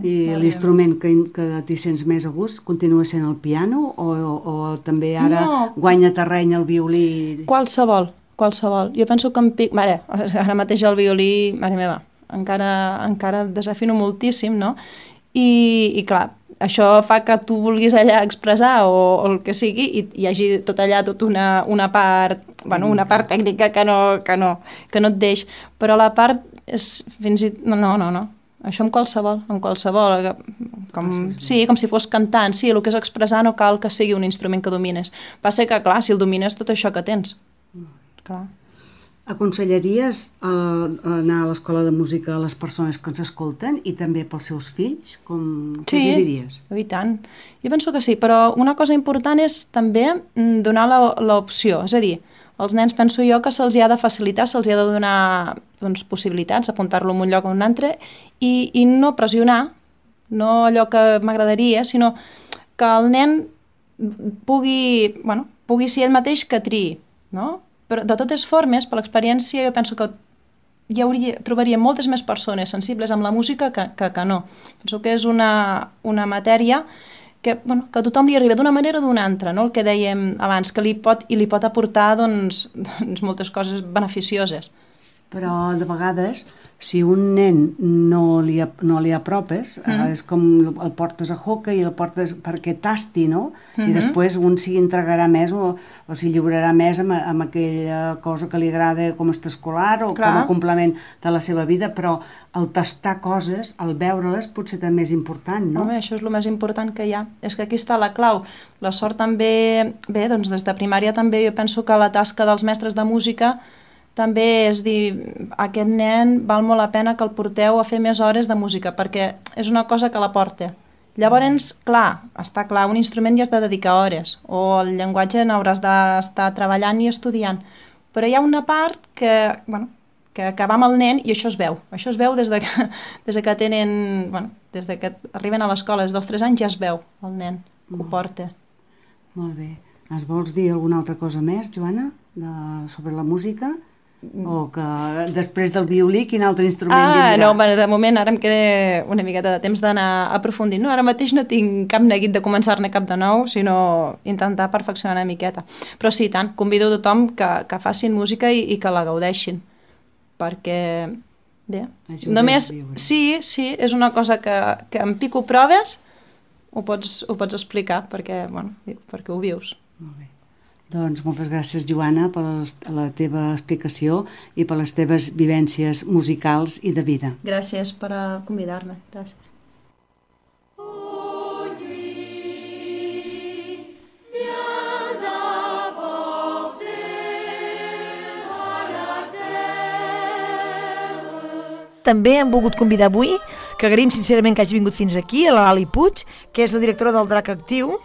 I l'instrument que, que t'hi sents més a gust continua sent el piano o, o, o també ara no. guanya terreny el violí? Qualsevol, qualsevol. Jo penso que em pic... Mare, ara mateix el violí, mare meva, encara, encara desafino moltíssim, no? I, i clar, això fa que tu vulguis allà expressar o, o el que sigui i hi hagi tot allà tot una, una part, bueno, una part tècnica que no, que no, que no et deix, però la part és fins i... No, no, no, no. Això amb qualsevol, amb qualsevol, com, sí, com si fos cantant, sí, el que és expressar no cal que sigui un instrument que domines. Passa que, clar, si el domines tot això que tens, clar. Aconsellaries eh, anar a l'escola de música a les persones que ens escolten i també pels seus fills? Com, què sí, els diries? I tant. Jo penso que sí, però una cosa important és també donar l'opció, és a dir, els nens penso jo que se'ls ha de facilitar, se'ls ha de donar doncs, possibilitats, apuntar-lo en un lloc o en un altre i, i no pressionar, no allò que m'agradaria, sinó que el nen pugui, bueno, pugui ser ell mateix que triï, no? Però de totes formes, per l'experiència, jo penso que hi hauria, trobaria moltes més persones sensibles amb la música que, que, que no. Penso que és una, una matèria que, bueno, que a tothom li arriba d'una manera o d'una altra, no? El que dèiem abans, que li pot, i li pot aportar doncs, doncs, moltes coses beneficioses. Però de vegades, si un nen no li, no li apropes, mm. eh, és com el portes a hockey i el portes perquè tasti, no? Mm-hmm. I després un s'hi entregarà més o, o s'hi lliurarà més amb, amb aquella cosa que li agrada com a extraescolar o Clar. Com a complement de la seva vida, però el tastar coses, el veure-les, potser també és important, no? Home, això és el més important que hi ha. És que aquí està la clau. La sort també, bé, doncs des de primària també jo penso que la tasca dels mestres de música també és dir, aquest nen val molt la pena que el porteu a fer més hores de música, perquè és una cosa que la porta. Llavors, clar, està clar, un instrument hi has de dedicar hores, o el llenguatge n'hauràs d'estar treballant i estudiant, però hi ha una part que, bueno, que, que va amb el nen i això es veu. Això es veu des de que, des de que tenen, bueno, des de que arriben a l'escola, des dels tres anys ja es veu el nen que ho porta. Molt bé. Es vols dir alguna altra cosa més, Joana, de, sobre la música? O que després del violí quin altre instrument ah, vindrà? No, bueno, de moment ara em queda una miqueta de temps d'anar aprofundint. No, ara mateix no tinc cap neguit de començar-ne cap de nou, sinó intentar perfeccionar una miqueta. Però sí, tant, convido a tothom que, que facin música i, i que la gaudeixin. Perquè, bé, Ajudem només, sí, sí, és una cosa que, que em pico proves, ho pots, ho pots explicar, perquè, bueno, perquè ho vius. Molt bé. Doncs moltes gràcies, Joana, per la teva explicació i per les teves vivències musicals i de vida. Gràcies per convidar-me. Gràcies. També hem volgut convidar avui, que agraïm sincerament que hagi vingut fins aquí, a la Lali Puig, que és la directora del Drac Actiu,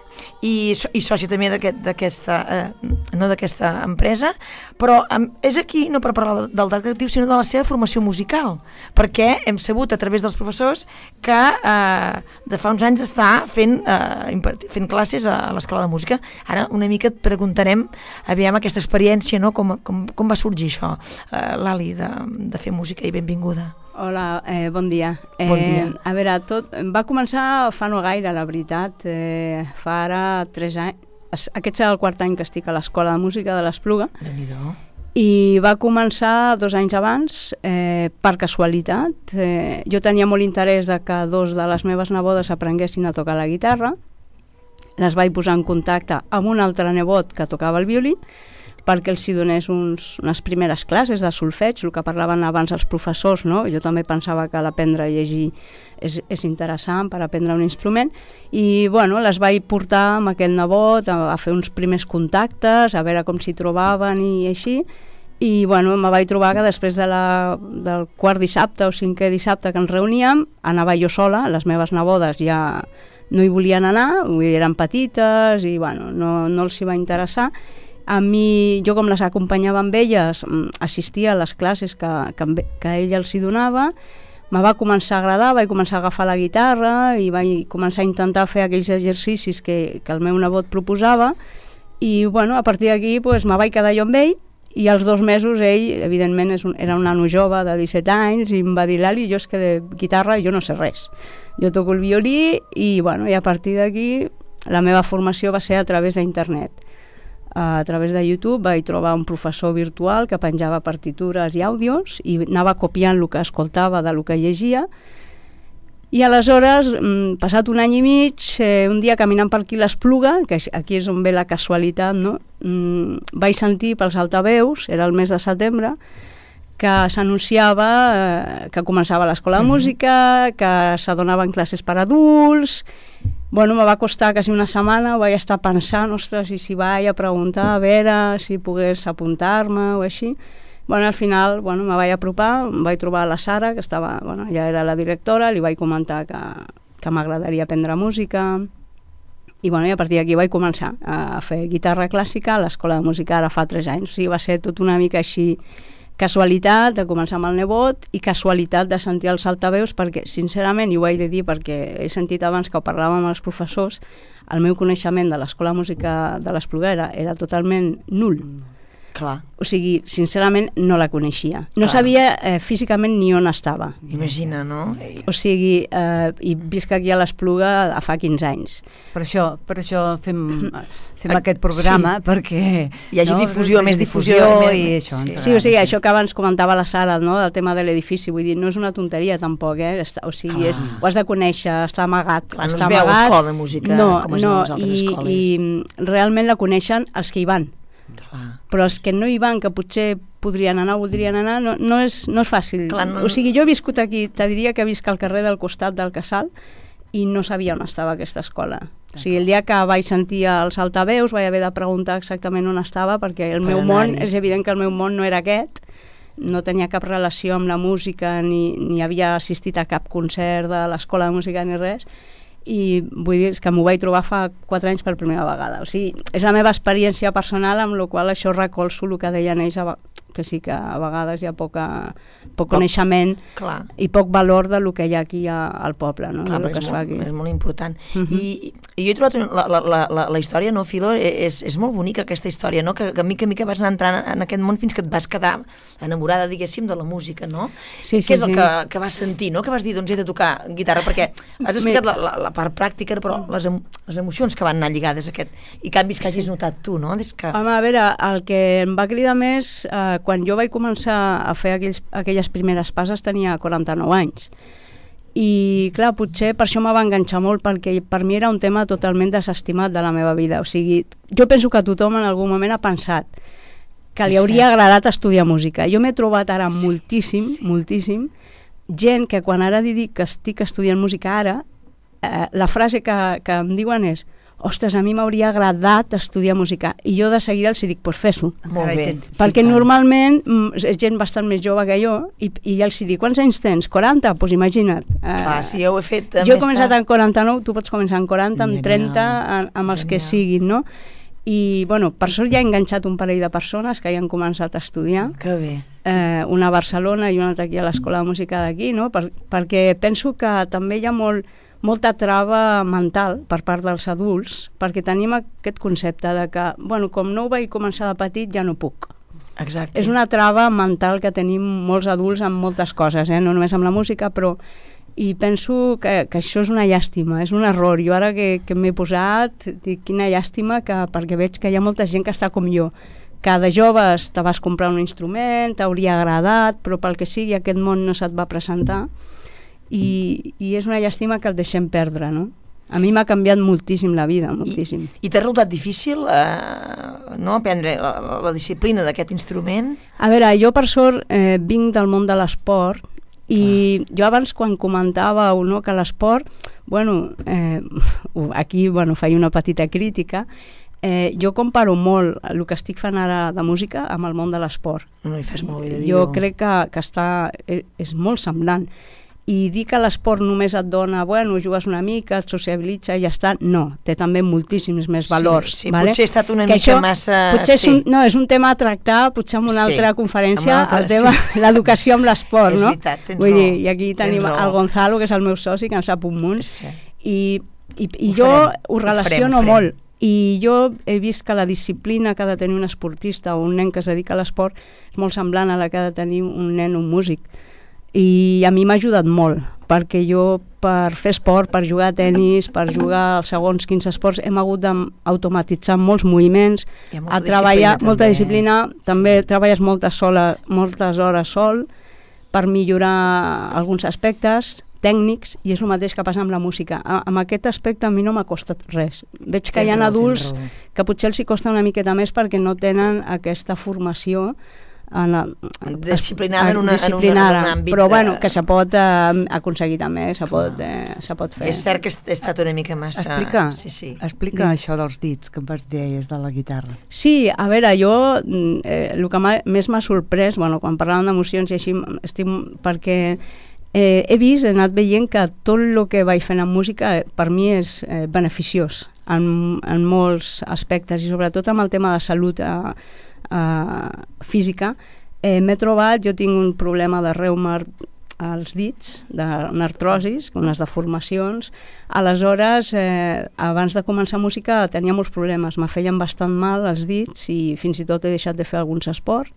i, i sòcia també d'aquesta eh, no d'aquesta empresa, però um, és aquí no per parlar del Dark Actiu, sinó de la seva formació musical, perquè hem sabut a través dels professors que eh, de fa uns anys està fent, eh, fent classes a, a l'Escola de Música. Ara una mica et preguntarem, aviam aquesta experiència, no? com, com, com va sorgir això, eh, Lali, de, de fer música, i benvinguda. Hola, eh, bon dia. Bon dia. Eh, a veure, tot va començar fa no gaire, la veritat, eh, fa ara tres anys. Aquest serà el quart any que estic a l'Escola de Música de l'Espluga. Déu-n'hi-do. I va començar dos anys abans, eh, per casualitat. Eh, jo tenia molt interès de que dos de les meves nebodes aprenguessin a tocar la guitarra. Les vaig posar en contacte amb un altre nebot que tocava el violí, perquè els hi donés uns, unes primeres classes de solfeig, el que parlaven abans els professors, no? Jo també pensava que l'aprendre a llegir és, és interessant per aprendre un instrument, i bueno, les vaig portar amb aquest nebot a, a fer uns primers contactes, a veure com s'hi trobaven i així, i bueno, me vaig trobar que després de la, del quart dissabte o cinquè dissabte que ens reuníem, anava jo sola, les meves nebodes ja no hi volien anar, vull dir, eren petites i bueno, no, no els hi va interessar. A mi, jo com les acompanyava amb elles, assistia a les classes que, que, que ella els hi donava, me va començar a agradar, vaig començar a agafar la guitarra i vaig començar a intentar fer aquells exercicis que, que el meu nebot proposava, i bueno, a partir d'aquí pues, me vaig quedar jo amb ell, i als dos mesos ell, evidentment, és un, era un nano jove de disset anys, i em va dir, Lali, jo és que de guitarra jo no sé res. Jo toco el violí i, bueno, i a partir d'aquí la meva formació va ser a través d'internet. A través de YouTube vaig trobar un professor virtual que penjava partitures i àudios i anava copiant el que escoltava de lo que llegia, i aleshores, passat un any i mig, eh, un dia caminant per aquí l'Espluga, que aquí és on ve la casualitat, no? Mm, vaig sentir pels altaveus, era el mes de setembre, que s'anunciava eh, que començava l'Escola de Música, que s'adonaven classes per adults. Bueno, me va costar quasi una setmana, ho vaig estar pensant, ostres, i si vaig a preguntar, a veure si pogués apuntar-me o així. Bueno, al final, bueno, me vaig apropar, em vaig trobar la Sara, que estava, bueno, ja era la directora, li vaig comentar que, que m'agradaria aprendre música, i bueno, i a partir d'aquí vaig començar a fer guitarra clàssica a l'Escola de Música ara fa tres anys. O sigui, va ser tot una mica així, casualitat de començar amb el nebot i casualitat de sentir els altaveus, perquè sincerament, i ho he de dir perquè he sentit abans que ho parlàvem amb els professors, el meu coneixement de l'Escola de Música de l'Espluga era, era totalment nul. Clar. O sigui, sincerament no la coneixia. No Clar. sabia eh, físicament ni on estava. Imagina, no? O sigui, eh, i visc aquí a l'Espluga fa quinze anys. Per això, per això fem, fem aquest programa, sí. perquè hi hagi no? difusió, més difusió, difusió més, i això. Sí, sí, o sigui, això que abans comentava la Sara, no? Del tema de l'edifici, vull dir, no és una tonteria tampoc, eh? O sigui, és, ho has de conèixer, està amagat. Clar, no està es veu amagat. escola de música no, com es no, veu a les altres i, escoles. I realment la coneixen els que hi van. Clar. Però els que no hi van, que potser podrien anar o voldrien anar, no, no, és, no és fàcil. Clar, no... O sigui, jo he viscut aquí, te diria que visc al carrer del costat del Casal i no sabia on estava aquesta escola. O sigui, el dia que vaig sentir els altaveus vaig haver de preguntar exactament on estava, perquè el meu món, és evident que el meu món no era aquest, no tenia cap relació amb la música, ni, ni havia assistit a cap concert de l'Escola de Música ni res, i vull dir que m'ho vaig trobar fa quatre anys per primera vegada. O sigui, és la meva experiència personal, amb la qual això recolzo el que deien ells, que sí que a vegades hi ha poca, poc coneixement Clar. i poc valor de lo que hi ha aquí a, al poble, no? Clar, de lo que és, es molt, fa aquí. és molt important. Uh -huh. I, I jo he trobat la, la, la, la, la història, no, Filo? És, és molt bonica aquesta història, no? Que, que mica a mica vas anar entrant en aquest món fins que et vas quedar enamorada, diguéssim, de la música, no? Sí, sí, Què és el sí. que, que vas sentir, no? Que vas dir, doncs he de tocar guitarra, perquè has explicat la, la, la part pràctica, però les, em, les emocions que van anar lligades a aquest, i canvis que hagis notat tu, no? Des que... Home, a veure, el que em va cridar més, eh, quan jo vaig començar a fer aquells, aquelles primeres passes tenia quaranta-nou anys, i clar, potser per això me va enganxar molt, perquè per mi era un tema totalment desestimat de la meva vida. O sigui, jo penso que tothom en algun moment ha pensat que li hauria agradat estudiar música. Jo m'he trobat ara moltíssim, sí. moltíssim gent que quan ara dic que estic estudiant música ara, eh, la frase que, que em diuen és: ostres, a mi m'hauria agradat estudiar música, i jo de seguida els dic, doncs pues fes-ho. Molt bé. Perquè normalment és gent bastant més jove que jo, i, i els dic, quants anys tens? quaranta? Doncs pues imagina't. Clar, uh, si jo ho he fet... Jo he començat en quaranta-nou, tu pots començar en quaranta, en trenta, en, amb els que siguin, no? I, bueno, per sort ja he enganxat un parell de persones que ja han començat a estudiar. Que bé. Eh, una a Barcelona i una altra aquí a l'Escola de Música d'aquí, no? Per, perquè penso que també hi ha molt molta trava mental per part dels adults, perquè tenim aquest concepte de que, bueno, com no ho vaig començar de petit, ja no puc. Exacte. És una trava mental que tenim molts adults amb moltes coses, eh? No només amb la música, però... I penso que, que això és una llàstima, és un error. Jo ara que, que m'he posat, dic, quina llàstima, que, perquè veig que hi ha molta gent que està com jo, que de joves te vas comprar un instrument, t'hauria agradat, però pel que sigui aquest món no se't va presentar, i, i és una llàstima que el deixem perdre, no? A mi m'ha canviat moltíssim la vida, moltíssim. I, i t'ha resultat difícil eh, no, aprendre la, la disciplina d'aquest instrument? A veure, jo per sort eh, vinc del món de l'esport, i jo abans quan comentàveu, no, que l'esport, bueno, eh, aquí bueno, faig una petita crítica, eh, jo comparo molt el que estic fent ara de música amb el món de l'esport. No hi fes molt bé de dir-ho. Jo crec que, que està, és molt semblant. I dir que l'esport només et dona, bueno, jugues una mica, et sociabilitza i ja està, no, té també moltíssims més valors. Sí, sí, vale? Potser ha estat una que mica això, massa... Potser és sí. un, no, és un tema a tractar, potser en una sí, altra conferència, altra, el tema, sí. L'educació amb l'esport, no? És veritat, tens Vull raó. dir, i aquí tenim el Gonzalo, que és el meu soci, que en sap un munt, sí. i, i, i ho jo farem, ho relaciono ho farem, ho farem. molt. I jo he vist que la disciplina que ha de tenir un esportista o un nen que es dedica a l'esport és molt semblant a la que ha de tenir un nen o un músic. I a mi m'ha ajudat molt, perquè jo per fer esport, per jugar a tennis, per jugar als segons quins esports, hem hagut d'automatitzar molts moviments, a treballar disciplina, molta també. disciplina, també sí. Treballes moltes, sola, moltes hores sol per millorar alguns aspectes tècnics, i és el mateix que passa amb la música. A, amb aquest aspecte a mi no m'ha costat res. Veig que ten hi ha raó, adults que potser els hi costa una miqueta més perquè no tenen aquesta formació en la, disciplinada en, una, disciplinada, en un àmbit però de... bueno, que se pot eh, aconseguir també, se pot, eh, se pot fer. És cert que he estat una mica massa... Explica, sí, sí. explica això dels dits que em vas dir de la guitarra. Sí, a veure, jo eh, el que més m'ha sorprès, bueno, quan parlàvem d'emocions i així, estic, perquè eh, he vist, he anat veient que tot el que vaig fent en música eh, per mi és eh, beneficiós en, en molts aspectes, i sobretot amb el tema de salut eh, Uh, física, eh, m'he trobat, jo tinc un problema de reuma als dits, d'artrosis, unes deformacions, aleshores eh, abans de començar música tenia molts problemes, me feien bastant mal els dits i fins i tot he deixat de fer alguns esports,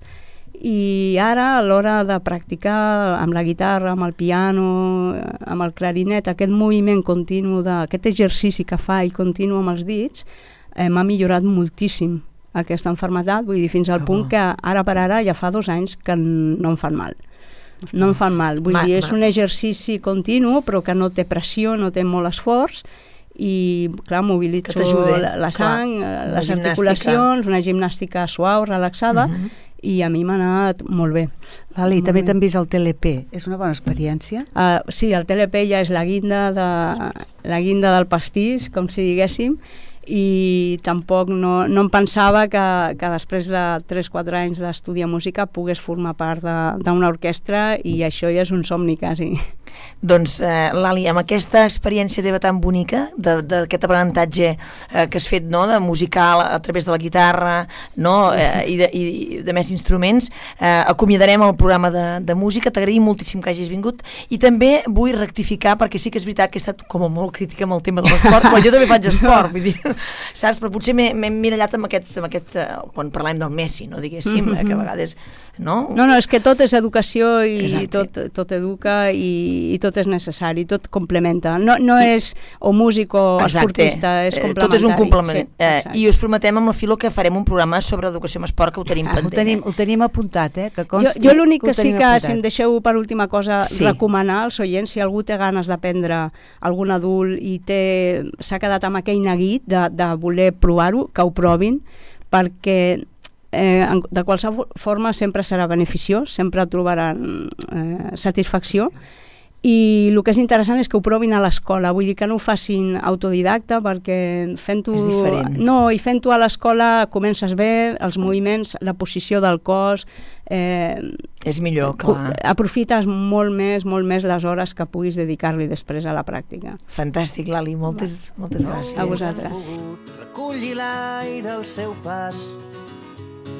i ara a l'hora de practicar amb la guitarra, amb el piano, amb el clarinet, aquest moviment continu, de, aquest exercici que fa i continu amb els dits, eh, m'ha millorat moltíssim aquesta enfermetat, vull dir, fins al que punt bo. Que ara per ara ja fa dos anys que no em fan mal. No em fan mal, vull ma, dir, és ma. un exercici continu, però que no té pressió, no té molt esforç, i clar, mobilitzo la, la sang, clar, les articulacions, una gimnàstica suau, relaxada, uh-huh. i a mi m'ha anat molt bé. Lali, també t'han vist el T L P, és una bona experiència? Uh, sí, el T L P ja és la guinda, de, la guinda del pastís, com si diguéssim, i tampoc no, no em pensava que, que després de tres o quatre anys d'estudiar música pogués formar part d'una orquestra, i això ja és un somni quasi. Doncs, eh, Lali, amb aquesta experiència teva tan bonica, d'aquest aprenentatge eh, que has fet, no?, de musical a través de la guitarra, no?, eh, i, de, i de més instruments, eh, acomiadarem el programa de, de música. T'agraïm moltíssim que hagis vingut, i també vull rectificar, perquè sí que és veritat que he estat com molt crítica amb el tema de l'esport, però jo també faig esport, vull dir, saps? Però potser m'he mirallat amb aquest, amb aquest eh, quan parlàvem del Messi, no, diguéssim, mm-hmm. que a vegades... No? no, no, és que tot és educació i tot, tot educa i, i tot és necessari, tot complementa. No, no és o músic o exacte. Esportista, és complementari. Tot és un complement. Sí, eh, I us prometem amb la Filo que farem un programa sobre educació en esport, que ho tenim ah, pendent. Ho tenim, ho tenim apuntat, eh? Que consti, jo jo l'únic que, que sí que, apuntat. Si em deixeu per última cosa, sí. recomanar als oients, si algú té ganes d'aprendre, algun adult, i s'ha quedat amb aquell neguit de, de voler provar-ho, que ho provin, perquè eh, de qualsevol forma sempre serà beneficiós, sempre trobaran eh, satisfacció, i el que és interessant és que ho provin a l'escola, vull dir que no ho facin autodidacta perquè fent-ho... És diferent. No, i fent-ho a l'escola comences bé, els moviments, la posició del cos... Eh, és millor, clar. Aprofites molt més, molt més les hores que puguis dedicar-li després a la pràctica. Fantàstic, Lali, moltes, moltes gràcies. A vosaltres. Reculli l'aire al seu pas,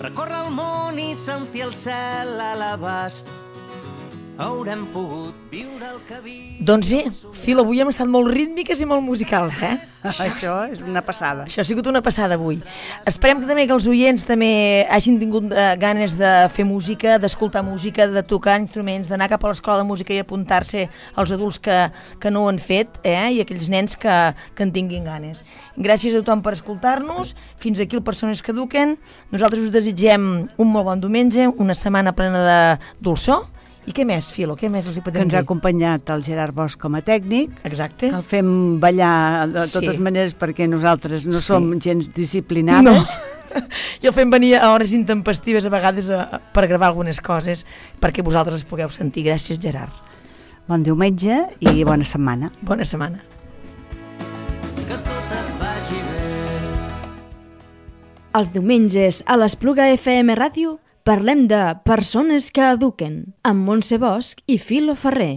recórrer el món i sentir el cel a l'abast. Haurem pogut viure el que vi... Doncs bé, Fil, avui hem estat molt rítmiques i molt musicals, eh? Això és una passada. Això ha sigut una passada avui. Esperem que també que els oients també hagin tingut eh, ganes de fer música, d'escoltar música, de tocar instruments, d'anar cap a l'escola de música i apuntar-se als adults que, que no ho han fet, eh? I aquells nens que, que en tinguin ganes. Gràcies a tothom per escoltar-nos. Fins aquí el Persones que Eduquen. Nosaltres us desitgem un molt bon diumenge, una setmana plena de dolçor. I què més, Filo? Què més els hi podem dir? Que ens ha acompanyat el Gerard Bosch com a tècnic. Exacte. Que el fem ballar de totes Sí. maneres perquè nosaltres no Sí. som gens disciplinades. No. I el fem venir a hores intempestives a vegades a, per gravar algunes coses perquè vosaltres es pugueu sentir. Gràcies, Gerard. Bon diumenge i bona setmana. Bona setmana. Que tot et vagi bé. Els diumenges a l'Espluga F M Ràdio parlem de Persones que Eduquen amb Montse Bosch i Filo Ferrer.